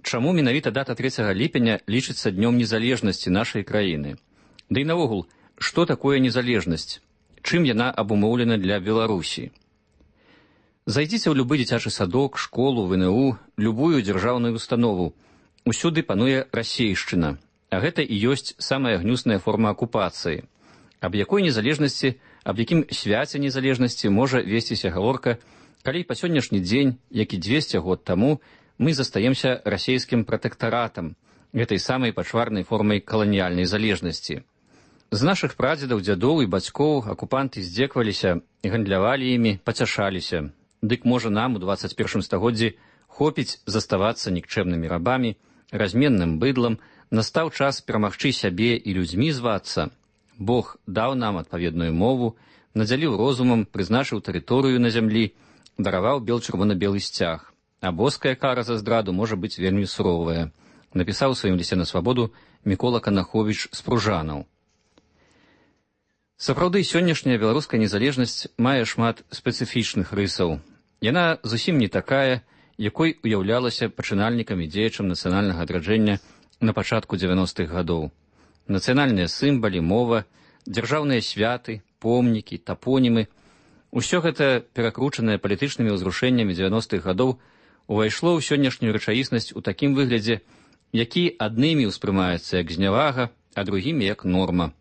чаму менавіта дата 3 ліпеня лічыцца днём незалежнасці нашай краіны. Да і наогул, што такое незалежнасць? Чым яна абумоўлена для Беларусі? Зайдзіце ў любы дзіцячы садок, школу, ВНУ, любую дзяржаўную установу. Усюды пануе расейшчына, а гэта і ёсць самая гнюсная форма акупацыі. Аб якой незалежнасці, аб якім свяце незалежнасці можа весціся гаворка, калі па сённяшні дзень, як і 200 год таму, мы застаемся расейскім пратэктаратам, гэтай самай пачварнай формай каланіяльнай залежнасці. З нашых прадзедаў, дзядоў і бацькоў акупанты здзекваліся, гандлявалі імі, пацяшаліся. Дык можа нам у 21 стагоддзі хопіць заставацца нікчэмнымі рабамі, разменным быдлам, настаў час перамагчы сябе і людзьмі звацца. Бог даў нам адпаведную мову, надзяліў розумам, прызначыў тэрыторыю на зямлі, дараваў бел-чырвона-белы сцяг. А боская кара за здраду можа быць вельмі суровая, напісаў у сваім лісце на свабоду Мікола Канаховіч з Пружанаў. Сапраўды, сённяшняя беларуская незалежнасць мае шмат спецыфічных рысаў. Яна зусім не такая, якой уяўлялася пачынальнікам і дзеячам нацыянальнага адраджэння на пачатку 90-х гадоў. Нацыянальныя сімвалы, мова, дзяржаўныя святы, помнікі, тапонімы – усё гэта, перакручанае палітычнымі ўзрушэннямі 90-х гадоў, увайшло ў сённяшнюю рэчаіснасць у такім выглядзе, які аднымі ўспрымаецца як знявага, а другімі як норма.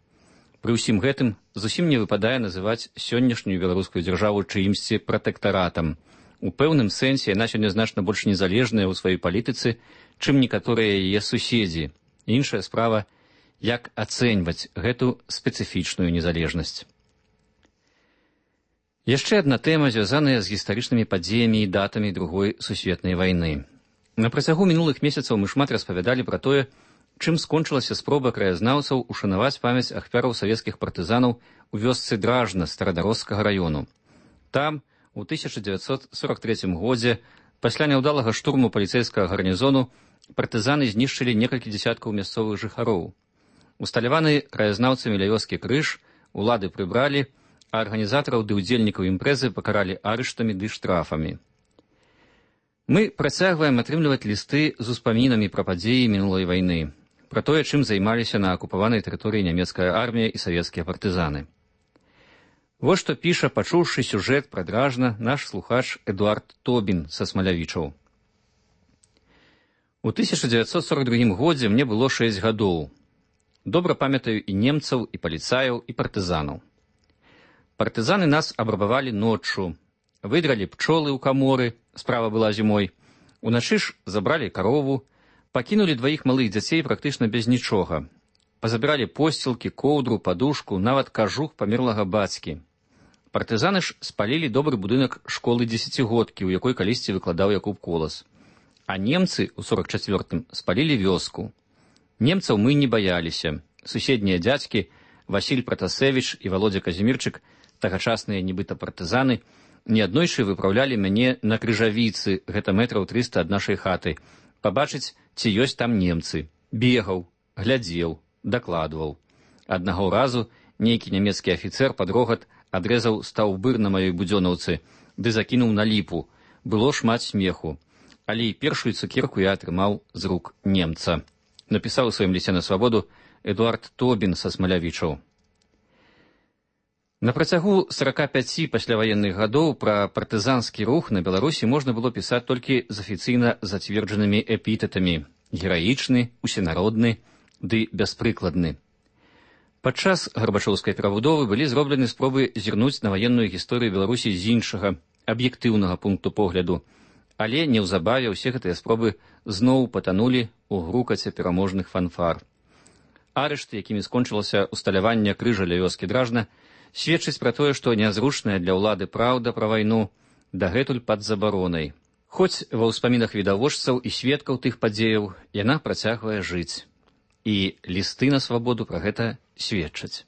Пры ўсім гэтым зусім не выпадае называць сённяшнюю беларускую дзяржаву чыімсьці пратэктаратам. У пэўным сэнсе яна сёння значна больш незалежная ў сваёй палітыцы, чым некаторыя яе суседзі. Іншая справа, як ацэньваць гэту спецыфічную незалежнасць. Яшчэ адна тэма, звязаная з гістарычнымі падзеямі і датамі Другой сусветнай вайны. На працягу мінулых месяцаў мы шмат распавядалі пра тое, чым скончылася спроба краязнаўцаў ушанаваць памяць ахвяраў савецкіх партызанаў у вёсцы Дражна Старадарожскага раёну. Там, у 1943 годзе, пасля няўдалага штурму паліцэйскага гарнізону, партызаны знішчылі некалькі дзесяткаў мясцовых жыхароў. Усталяваны краязнаўцамі ля вёскі крыж улады прыбралі, а арганізатараў ды ўдзельнікаў імпрэзы пакаралі арыштамі ды штрафамі. Мы працягваем атрымліваць лісты з успамінамі пра падзеі мінулай вайны, пра тое, чым займаліся на акупаванай тэрыторыі нямецкая армія і савецкія партызаны. Вось што піша, пачуўшы сюжэт пра Дражна, наш слухач Эдуард Тобін са Смалявічаў. У 1942 годзе мне было 6 гадоў. Добра памятаю і немцаў, і паліцаяў, і партызанаў. Партызаны нас абрабавалі ноччу, выдралі пчолы ў каморы, справа была зімой, уначы ж забралі карову, пакінулі 2 малых дзяцей практычна без нічога. Пазабіралі посцілкі, коўдру, падушку, нават кажух памерлага бацькі. Партызаны ж спалілі добры будынак школы 10-годкі, у якой калісьці выкладаў Якуб Колас. А немцы ў 44-м спалілі вёску. Немцаў мы не баяліся. Суседнія дзядзькі, Васіль Пратасевіч і Володя Казімірчык, тагачасныя нібыта партызаны, неаднойчы выпраўлялі мяне на крыжавіцы, гэта метраў 300 ад нашай хаты, пабачыць, ці ёсць там немцы. Бегаў, глядзеў, дакладваў. Аднаго разу нейкі нямецкі афіцэр пад рогат адрэзаў стаўбыр на маёй будзёнаўцы, ды закінуў на ліпу. Было шмат смеху. Але і першую цукерку я атрымаў з рук немца. Напісаў у сваім лісце на свабоду Эдуард Тобін са Смалявічаў. На працягу 45 пасляваенных гадоў пра партызанскі рух на Беларусі можна было пісаць толькі з афіцыйна зацверджанымі эпітэтамі: гераічны, усенародны ды бяспрыкладны. Падчас гарбачоўскай перабудовы былі зроблены спробы зірнуць на ваенную гісторыю Беларусі з іншага, аб'ектыўнага пункту погляду, Але неўзабаве ўсе гэтыя спробы зноў патанулі ў грукаце пераможных фанфар. Арышты, якімі скончылася усталяванне крыжа ля вёскі Дражна, сведчыць пра тое, што нязручная для ўлады праўда пра вайну дагэтуль пад забаронай. Хоць ва ўспамінах відавочцаў і сведкаў тых падзеяў яна працягвае жыць. І лісты на свабоду пра гэта сведчаць.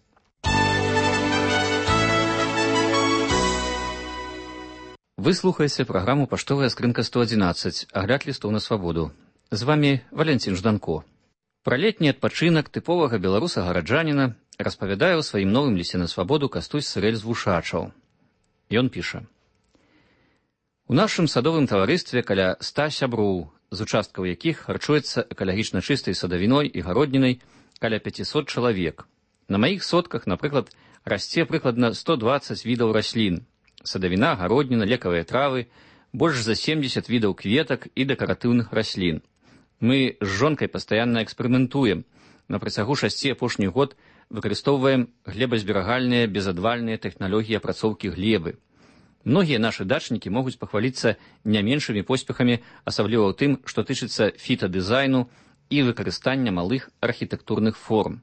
Вы слухаеце праграму «Паштовая скрынка 111», агляд лістоў на свабоду. З вамі Валянцін Жданко. Пра летні адпачынак тыповага беларуса-гараджаніна распавядае ў сваім новым лісце на свабоду Кастусь Сырэль з Вушачаў. Ён піша: «У нашым садовым таварыстве каля 100 сяброў, з участкаў якіх харчуецца экалагічна чыстай садавіной і гароднінай каля 500 чалавек. На маіх сотках, напрыклад, расце прыкладна 120 відаў раслін. Садавіна, гародніна, лекавыя травы, больш за 70 відаў кветак і дэкаратыўных раслін. Мы з жонкай пастаянна эксперыментуем. На працягу 6 апошніх год выкарыстоўваем глебазберагальныя безадвальныя тэхналогіі апрацоўкі глебы. Многія нашы дачнікі могуць пахваліцца не меншымі поспехамі, асабліва ў тым, што тычыцца фітадызайну і выкарыстання малых архітэктурных форм.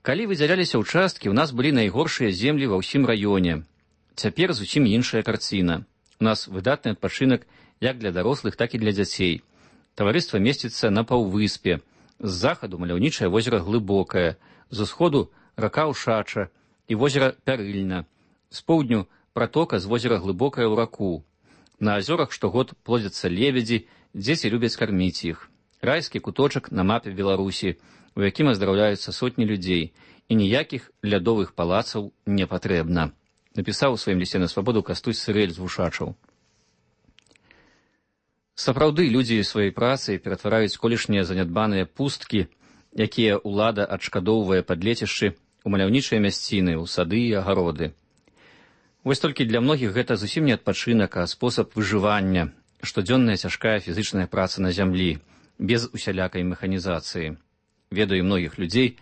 Калі выдзяляліся ўчасткі, у нас былі найгоршыя землі ва ўсім раёне. Цяпер зусім іншая карціна. У нас выдатны адпачынак як для дарослых, так і для дзяцей. Таварыства месціцца на паўвыспе. З захаду маляўнічае возера Глыбокае, з усходу рака Ушача і возера Пярыльна. З поўдню пратока з возера Глыбокае ў раку. На азёрах штогод плодзяцца лебедзі, дзеці любяць карміць іх. Райскі куточак на мапе Беларусі, у якім аздараўляюцца сотні людзей, і ніякіх лядовых палацаў не патрэбна. Напісаў у сваім лісце на свабоду Кастусь Сырэль з Вушачаў. Сапраўды, людзі сваёй працай ператвараюць колішнія занядбаныя пусткі, якія ўлада адшкадоўвае пад лецішчы, у маляўнічыя мясціны, у сады і агароды. Вось толькі для многіх гэта зусім не адпачынак, а спосаб выжывання, штодзённая цяжкая фізычная праца на зямлі, без усялякай механізацыі. Ведаю многіх людзей,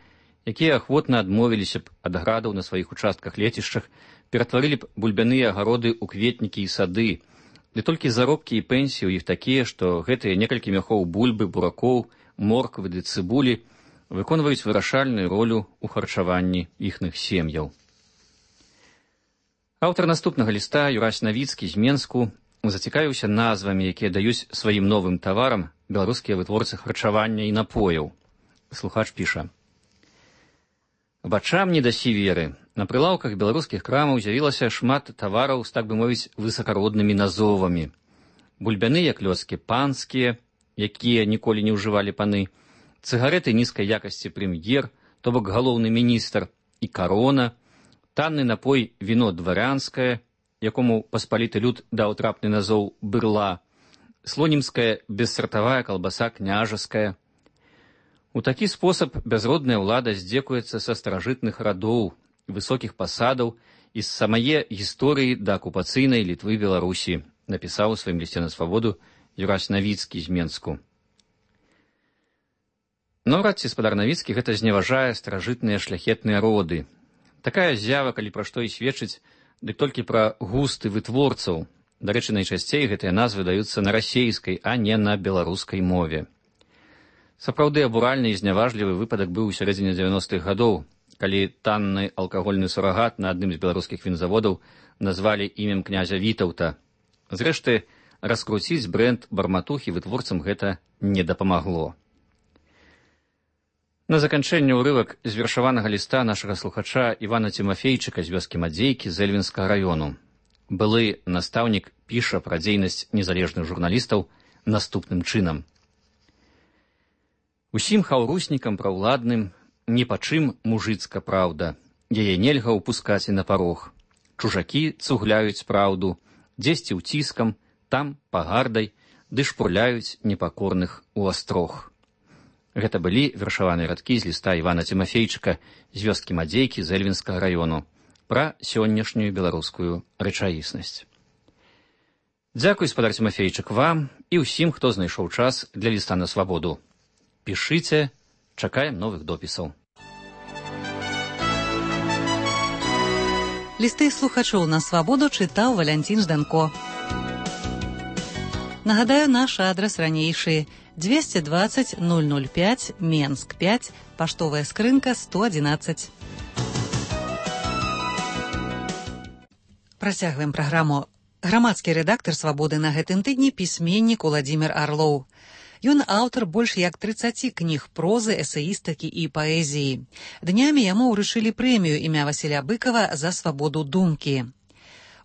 якія ахвотна адмовіліся б ад градаў на сваіх участках лецішчах, ператварылі б бульбяныя агароды ў кветнікі і сады, ды толькі заробкі і пенсіі ў іх такія, што гэтыя некалькі мяхоў бульбы, буракоў, морквы ды цыбулі выконваюць вырашальную ролю ў харчаванні іхных сем'яў. Аўтар наступнага ліста, Юрась Навіцкі з Менску, зацікавіўся назвамі, якія даюць сваім новым таварам беларускія вытворцы харчавання і напояў. Слухач піша: «Вачам не дасі веры. На прылаўках беларускіх крамаў з'явілася шмат тавараў з, так бы мовіць, высакароднымі назовамі. Бульбяныя клёцкі панскія, якія ніколі не ўжывалі паны, цыгареты нізкай якасці прэм'ер, то бок галоўны міністр, і карона, танны напой віно дварянскае, якому паспаліты люд даў трапны назоў бырла, слонімская бессартавая калбаса княжаская. У такі спосаб бязродная ўлада здзекуецца са старажытных радоў, высокіх пасадаў і з самае гісторыі да акупацыйнай Літвы Беларусі, напісаў у сваім лісце на свабоду Юрась Навіцкі з Менску. Наўрад ці спадар Навіцкі гэта зневажае старажытныя шляхетныя роды. Такая з'ява, калі пра што і сведчыць, дык толькі пра густы вытворцаў. Дарэчы, найчасцей гэтыя назвы даюцца на расейскай, а не на беларускай мове. Сапраўды абуральны і зняважлівы выпадак быў у сярэдзіне 90-х гадоў, калі танны алкагольны сурагат на адным з беларускіх вінзаводаў назвалі імем князя Вітаўта. Зрэшты, раскруціць брэнд барматухі вытворцам гэта не дапамагло. На заканчэнне ўрывак з вершаванага ліста нашага слухача Івана Цімафейчыка з вёскі Мадзейкі з Эльвінскага раёну. Былы настаўнік піша пра дзейнасць незалежных журналістаў наступным чынам. Усім хаўруснікам праўладным ні па чым мужыцка праўда, яе нельга ўпускаць і на парог. Чужакі цугляюць праўду, дзесьці ўціскам, там пагардай, ды шпурляюць непакорных у астрог. Гэта былі вершаваныя радкі з ліста Івана Цімафейчыка з вёскі Мадзейкі з Эльвінскага раёну пра сённяшнюю беларускую рэчаіснасць. Дзякуй, спадар Цімафейчык, вам і ўсім, хто знайшоў час для ліста на свабоду. Пішыце, чакаем новых допісаў. Лісты слухачоў на свабоду чытаў Валянцін Жданко. Нагадаю, наш адрес ранейший: 220 005, Менск 5, паштовая скрынка 111. Працягваем праграму. Грамадскі рэдактар «Свабоды» на гэтым тыдні пісьменнік Уладзімір Арлоў. Ён аўтар больш як 30 кніг прозы, эсеістыкі і паэзіі. Днямі яму ўручылі прэмію імя Васіля Быкава за свабоду думкі.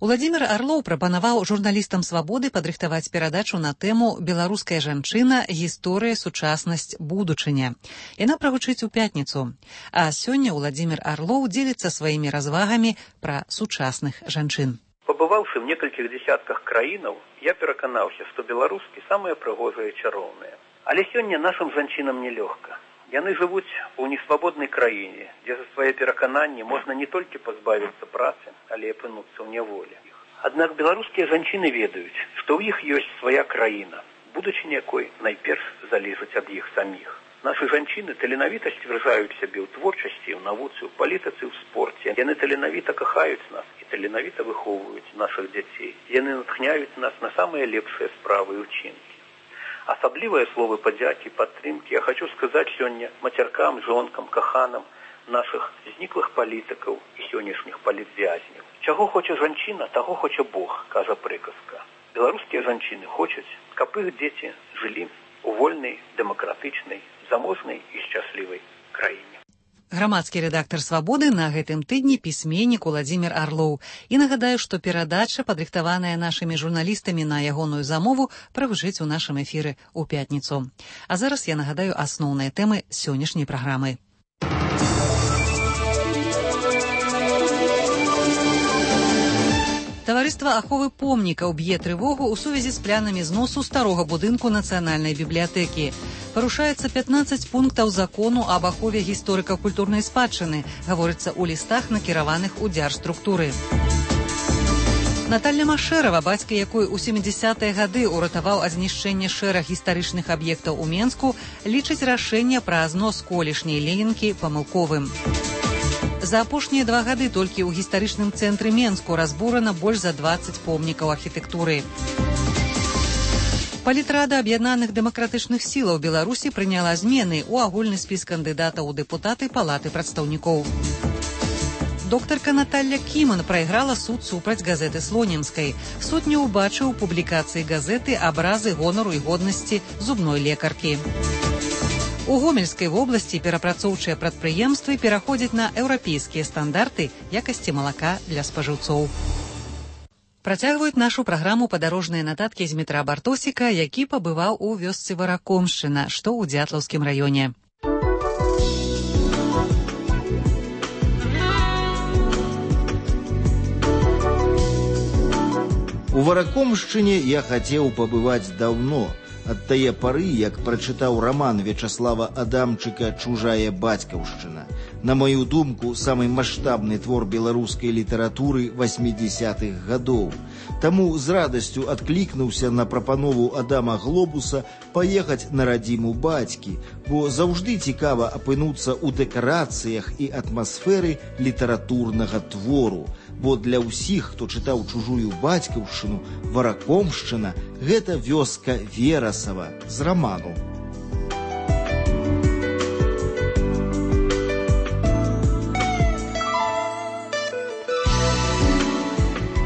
Уладзімір Арлоў прапанаваў журналістам «Свабоды» падрыхтаваць перадачу на тэму «Беларуская жанчына. Гісторыя, сучаснасць, будучыня». Яна прагучыць у пятніцу. А сёння Уладзімір Арлоў дзеліцца сваімі развагамі пра сучасных жанчын. Побывавши в некалькіх десятках краінаў, я пераканаўся, што беларускі самыя прыгожыя і чароўныя. Але сёння нашым жанчынам нелёгка. Яны жывуць у несвабоднай краіне, дзе за свае перакананні можна не толькі пазбавіцца працы, але і апынуцца ў няволі. Аднак беларускія жанчыны ведаюць, што ў іх ёсць свая краіна, будучыня якой найперш залежыць ад іх саміх. Нашы жанчыны таленавіта сцвярджаюць сябе ў творчасці, ў навуцы, ў палітыцы, ў спорце. Яны таленавіта кахаюць нас і таленавіта выхоўваюць нашых дзяцей. Яны натхняюць нас на самыя лепшыя справы і ўчынкі. Асаблівыя словы падзякі, падтрымкі я хочу сказаць сёння мацяркам, жонкам, каханам нашых зніклых палітыкаў і сённяшніх палітвязняў. Чаго хоча жанчына, таго хоча Бог, кажа прыказка. Беларускія жанчыны хочуць, каб іх дзеці жылі у вольнай, дэмакратычнай, заможнай і шчаслівай краіне. Грамадскі рэдактар «Свабоды» на гэтым тыдні пісьменнік Уладзімір Арлоў. І нагадаю, што перадача, падрыхтаваная нашымі журналістамі на ягоную замову, прагучыць у нашым эфіры ў пятніцу. А зараз я нагадаю асноўныя тэмы сённяшняй праграмы. Таварыства аховы помнікаў б'е трывогу ў сувязі з планамі зносу старога будынку Нацыянальнай бібліятэкі. Парушаецца 15 пунктаў закону аб ахове гісторыка-культурнай спадчыны, гаворыцца ў лістах, накіраваных у дзяржструктуры. Наталья Машэрава, бацька якой у 70-е гады ўратаваў ад знішчэння шэраг гістарычных аб'ектаў у Менску, лічыць рашэнне пра знос колішняй ленінкі памылковым. За апошнія 2 гады толькі ў гістарычным цэнтры Менску разбурана больш за 20 помнікаў архітэктуры. Палітрада аб'яднаных дэмакратычных сілаў Беларусі прыняла змены ў агульны спіс кандыдатаў у дэпутаты Палаты прадстаўнікоў. Доктарка Наталья Кіман прайграла суд супраць газеты Слонімскай. Суд не ўбачыў у публікацыі газеты абразы гонару і годнасці зубной лекаркі. У Гомельскай вобласці перапрацоўчыя прадпрыемствы пераходзяць на еўрапейскія стандарты якасці малака для спажыўцоў. Працягваюць нашу праграму падарожныя нататкі з Дмітра Бартосіка, які пабываў у вёсцы Варакомшчына, што ў Дзятлаўскім раёне. У Варакомшчыне я хацеў пабываць даўно. Ад тае пары, як прачытаў раман Вячаслава Адамчыка «Чужая бацькаўшчына». На маю думку, самы маштабны твор беларускай літаратуры 80-х гадоў. Таму з радасцю адклікнуўся на прапанову Адама Глобуса паехаць на радзіму бацькі, бо заўжды цікава апынуцца ў дэкарацыях і атмасферы літаратурнага твору. Бо для ўсіх, хто чытаў «Чужую бацькаўшчыну», Варакомшчына – гэта вёска Верасава з раману.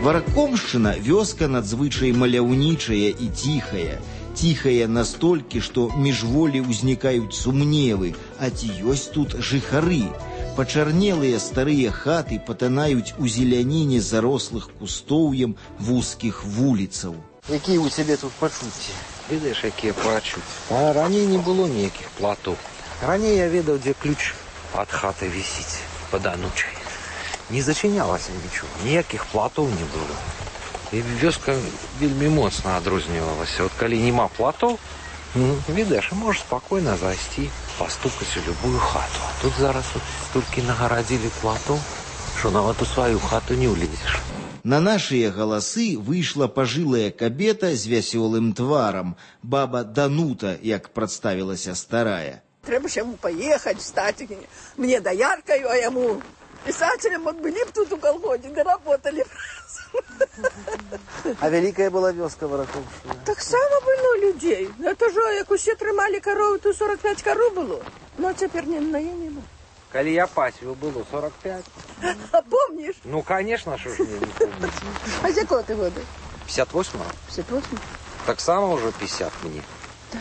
Варакомшчына – вёска надзвычай маляўнічая і ціхая. Ціхая настолькі, што міжволі ўзнікаюць сумневы, а ці ёсць тут жыхары. Пачарнелыя старыя хаты патанаюць у зеляніне зарослых кустоўем вузкіх вуліцаў. Якія у цябе тут пачуцці? Ведаеш, якія пачуцці? А раней не было ніякіх платоў. Раней я ведаў, дзе ключ ад хаты вісіць пад анучай. Не зачынялася нічого, ніякіх платоў не было. І вёска вельмі моцна адрознівалася. От калі няма платоў, ведаеш, можаш спакойна зайсці, пастукаць у любую хату. А тут зараз толькі нагарадзілі платоў, што нават у сваю хату не ўлезеш. На нашыя галасы выйшла пажылая кабета з вясёлым тварам, баба Данута, як прадставілася старая. Трэба ж яму паехаць, стаць мне даяркаю, а яму пісацелем от былі б тут у калгоне, да работалі б. А вялікая была вёска Варакомшчына? Таксама была людей. Это же, як усе трымалі каровы, то 45 каров было. Но цяпер не наем. Коли я пасвил, было 45. А помнишь? Ну, конечно, что ж мне не помнить. А з якого ты года? 58-го. 58? Так само уже 50 мне. Да,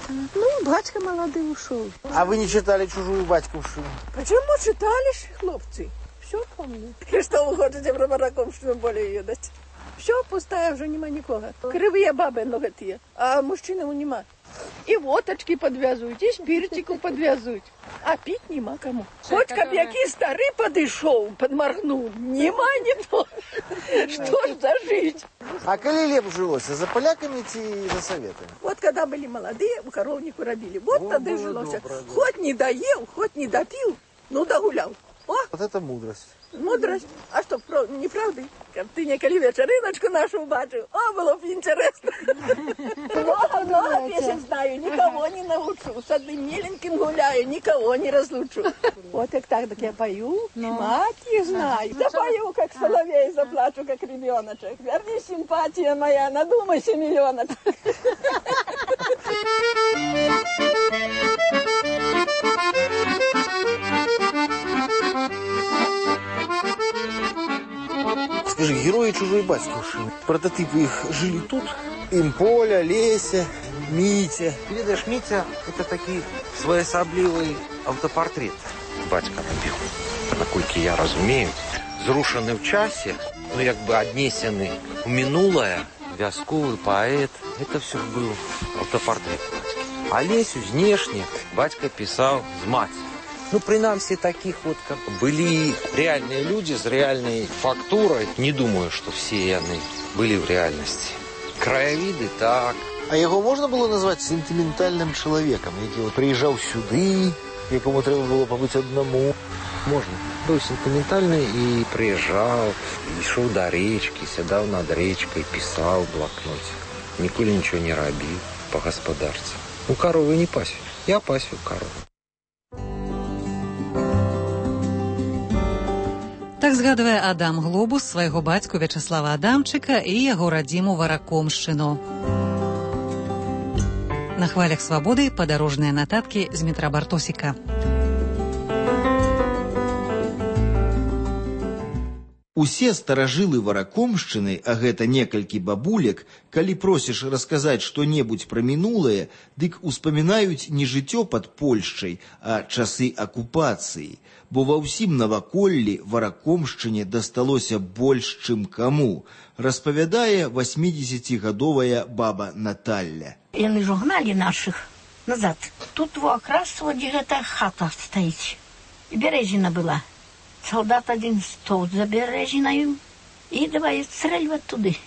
50. Ну, батька молодый ушел. А вы не читали «Чужую батьковщину»? Почему читали, хлопцы? Все помню. И что вы хотите про Варакомщину более едать? Все пустая, уже нема никого. Кривые бабы ноготые, а мужчинам нема. И водочки подвязывают, и спиртику подвязывают. А пить нема кому. Хоть каб який старый подышел, подморгнул, нема никто. Что ж за жизнь? А коли леп жилось, за поляками и за советами? Вот когда были молодые, у коровнику робили. Вот тогда и жилось. Хоть не доел, хоть не допил, ну догулял. О! Вот это мудрость. Мудрость? А что, неправда? Как ты неколи вечериночку нашу убачил, о, было бы интересно. Много песен знаю, никого не научу. С одним миленьким гуляю, никого не разлучу. Вот так я пою, мать их знаю. Запою, как соловей, заплачу, как ребеночек. Верни, симпатия моя, надумайся, миллионочек. Скажи, герои «Чужой батьковщины», прототипы их жили тут? Им Поля, Леся, Митя. Видишь, Митя – это такие своеособлівий автопортрет. Батька робив, наколькі я разумею, зрушены в часе, ну, як бы однесены в минулое, вязковый поэт. Это все был автопортрет батьки. А Лесю внешне батька писал с матерью. Ну, принамсі таких вот, как были реальные люди с реальной фактурой. Не думаю, что все они были в реальности. Краевиды так. А его можно было назвать сентиментальным человеком, який вот приезжал сюда, якому треба было побыть одному? Можно. Был сентиментальный и приезжал, и шел до речки, сидел над речкой, писал в блокноте. Николи ничего не робил по господарству. Ну, коровы не пасю. Я пасю корову. Так згадывае Адам Глобус свайго бацьку Вячаслава Адамчыка і яго радзіму Варакомшчыну. На хвалях свабоды падарожныя нататкі з метра Бартосіка. Усе старажылы Варакомшчыны, а гэта некалькі бабулек, калі просіш расказаць што-небудзь пра мінулае, дык успамінаюць не жыццё пад Польшчай, а часы акупацыі. Бо ва ўсім наваколлі Варакомшчыне дасталося больш, чым каму, распавядае 80-гадовая баба Наталля. Яны ж гналі нашых назад. Тут якраз дзе гэта хата стаіць. І бярэзіна была. Солдат один стол за бережиною и давай стрельвать туды.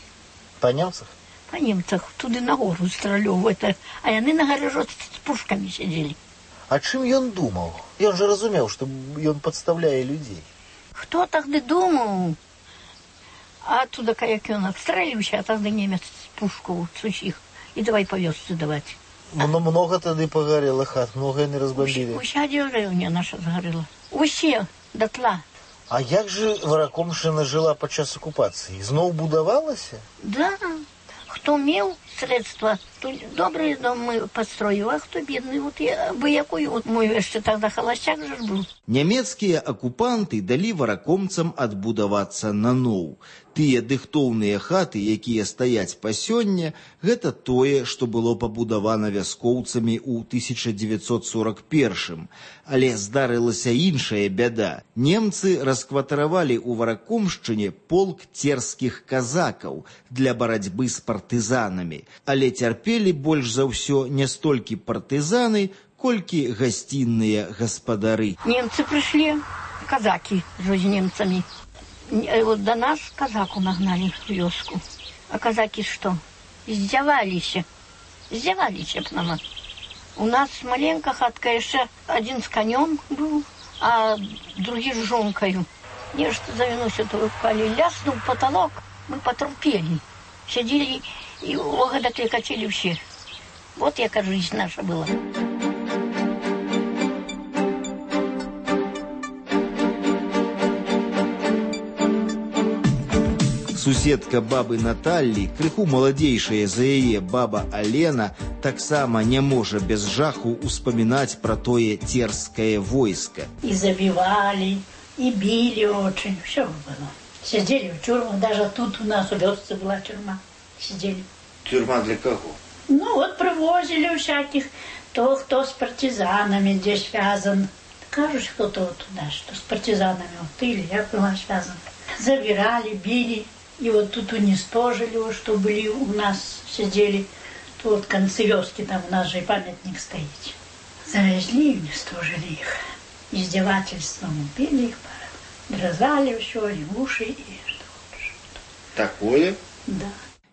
По немцах? По немцах. Туды на гору стрелёвать. А яны на гаражот с пушками сидели. А чым ён думал? Ён же разумел, что ён подставляе людей. Кто тогда думал? А оттуда, как он обстреливался, а тогда немец пушку сухих. И давай по вёсцы давать. Но много тогда погорело хат, много не разбомбили. Уся деревня наша сгорела. Усе дотла. А як же Варакомшчына жила падчас акупацыі? Зноў будавалася? Да. Хто меў средства, то добрые домы построил, а кто бедный, вот я бы якой, вот мой яшчэ тогда холостяк же был. Нямецкія акупанты далі варакомцам адбудавацца наноў. Тыя дыхтоўныя хаты, якія стаяць па сёння, гэта тое, што было пабудавана вяскоўцамі ў 1941. Але здарылася іншая бяда. Немцы раскватаравалі ў Варакомшчыне полк церскіх казакаў для барацьбы з партызанамі. Але цярпелі больш за ўсё не столькі партызаны, колькі гасцінныя гаспадары. Немцы прышлі, казакі з немцамі. Вот до нас казаку нагнали в вёску. А казаки что? Издевались. Издевались б нам. У нас маленькая хатка, еще один с конем был, а другие с жонкою. Нечто завинусь, упали, ляснул потолок, мы потрупели. Сидели и огодаты качели все. Вот яка жизнь наша была. Суседка бабы Наталлі, крыху маладзейшая за яе баба Алена, таксама не можа без жаху успамінаць пра тое церскае войска. И забивали, и били очень, все было. Сидели в тюрьмах, даже тут у нас в Вёсце была тюрьма. Сидели. Тюрьма для кого? Ну вот привозили всяких, то кто с партизанами здесь связан. Кажется, кто-то вот туда, что с партизанами, вот ты или я была связана. Забирали, били, и вот тут уничтожили, что были у нас, сидели. То вот в конце Вёски, там у нас же и памятник стоит. Завезли и уничтожили их. Издевательством убили их, дрозали все, и уши, и что хочешь. Такое? Да.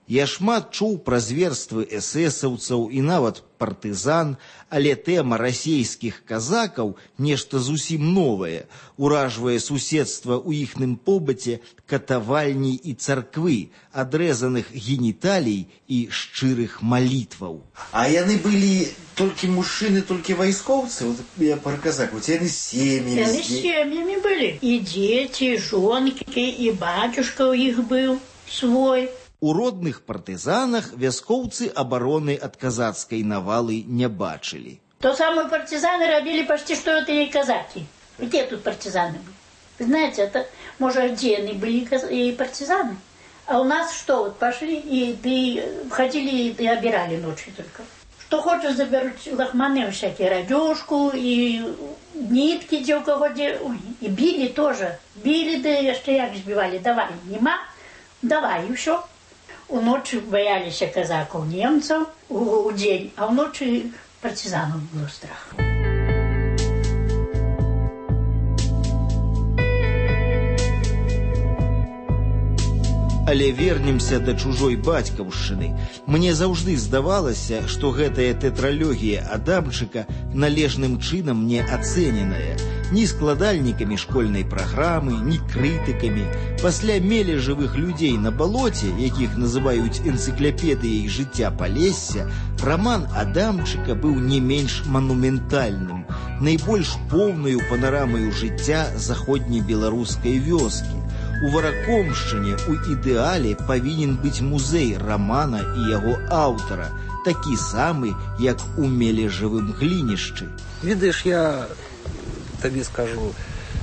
Я шмат чуў пра зверствы эсэсаўцаў і нават партызан, але тэма расейскіх казакаў нешта зусім новае, уражвае суседства ў іхным побыце катавальні і царквы, адрэзаных геніталій і шчырых малітваў. А яны былі толькі мужчыны, толькі вайскоўцы? Вот я пра казакаў, яны з сем'ямі. Яны з сем'ямі былі. І дзеці, і жонкі, і бацюшка ў іх быў свой. У родных партызанах вяскоўцы абароны ад казацкай навалы не бачылі. То самые партизаны робили почти что это и казаки. Где тут партизаны были? Вы знаете, это, может, отдельные были и партизаны. А у нас что, вот пошли и ходили и обирали ночью только. Что хочешь, заберут лохманы всякие, радюшку, и нитки, где у кого где. Ой, и били тоже. Били, да еще як сбивали. Давай, нема, давай, и все. У ночи боялись казаков немцев, у день, а у ночи партизанов был страх. Але вернемся да чужой бацькаўшчыны. Мне заўжды здавалася, што гэтая тэтралогія Адамчыка належным чынам не ацэненая. Ні складальнікамі школьнай праграмы, ні крытыкамі. Пасля мелі жывых людзей на балоце, якіх называюць энцыклапедыяй жыцця Палесся, раман Адамчыка быў не менш манументальным, найбольш поўнаю панарамаю жыцця заходнебеларускай вёскі. У Варакомшчыне у ідэале павінен быць музей рамана і яго аўтара, такі самы, як у Мележавым глінішчы. Ведаеш, я табе скажу,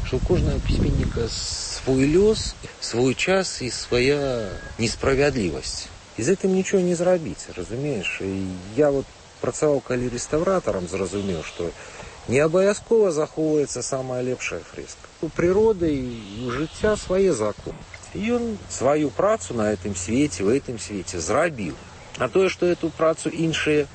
что у кожного письменника свой лёс, свой час и своя несправедливость. Из этого ничего не зрабіць, разумеешь? И я вот працаваў калі рэстаўратарам, зразумеў, что не абавязкова захоўваецца самая лепшая фрэска. У прыроды і у жыцця свае законы. І ён сваю працу на этом свеце, в этом свеце зрабіў. А тое, што эту працу іншыя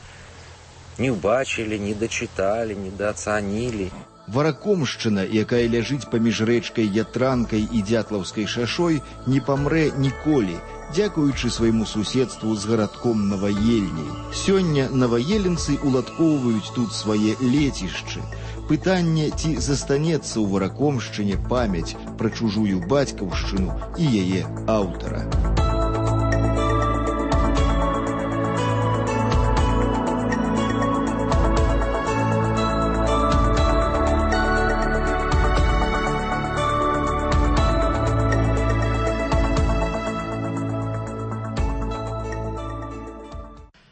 не ўбачылі, не дачыталі, не даацанілі. Варакомшчына, якая ляжыць паміж рэчкай Ятранкай і Дзятлаўскай шашой, не памрэ ніколі, дзякуючы свайму суседству з гарадком Наваельняй. Сёння наваеленцы уладкоўваюць тут свае лецішчы. Пытанне, ці застанецца ў Варакомшчыне памяць пра чужую бацькаўшчыну і яе аўтара.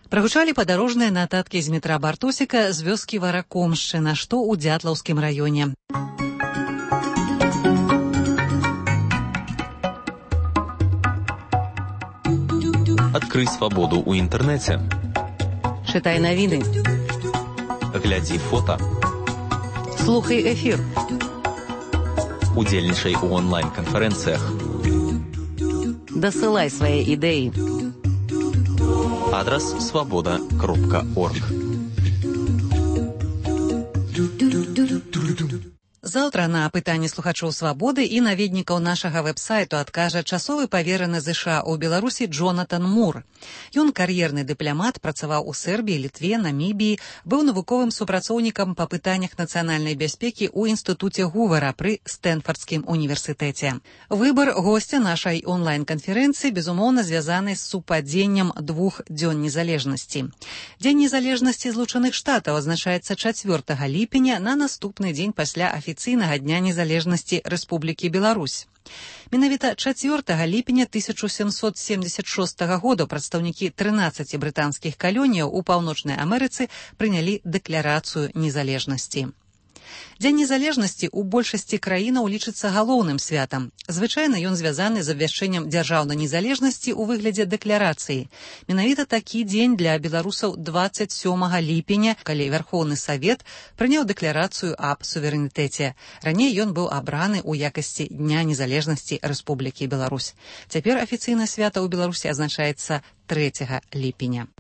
Прагучалі падарожныя нататкі з метра Бартосіка з вёскі Варакомшчына, што ў Дзятлаўскім раёне. Адкрый свабоду ў інтэрнэце. Чытай навіны. Глядзі фота. Слухай эфір. Удзельнічай у онлайн-канферэнцыях. Дасылай свае ідэі. Адрес свобода.орг. Заўтра на пытанні слухачоў «Свабоды» і наведнікаў нашага вэб-сайту адкажа часовы павераны ЗША ў Беларусі Джонатан Мур. Ён кар'ерны дыпламат, працаваў у Сербіі, Літве, Намібіі, быў навуковым супрацоўнікам па пытаннях нацыянальнай бяспекі ў інстытуце Гувара пры Стэнфардскім універсітэце. Выбар госця нашай онлайн-канферэнцыі, безумоўна, звязаны з супадзеннем 2 дзён незалежнасці. Дзень незалежнасці Злучаных Штатаў адзначаецца 4 ліпеня на наступны дзень пасля афіцыйнага афіцыйнага дня незалежнасці Рэспублікі Беларусь. Менавіта 4 ліпеня 1776 года прадстаўнікі 13 брытанскіх калоніяў у Паўночнай Амерыцы прынялі дэкларацыю незалежнасці. Дзень незалежнасці ў большасці краінаў лічыцца галоўным святам. Звычайна ён звязаны з абвяшчэннем дзяржаўнай незалежнасці ў выглядзе дэкларацыі. Менавіта такі дзень для беларусаў 27 ліпеня, калі Вярхоўны Савет прыняў дэкларацыю аб суверэнітэце. Раней ён быў абраны ў якасці Дня незалежнасці Рэспублікі Беларусь. Цяпер афіцыйнае свята ў Беларусі азначаецца 3 ліпеня.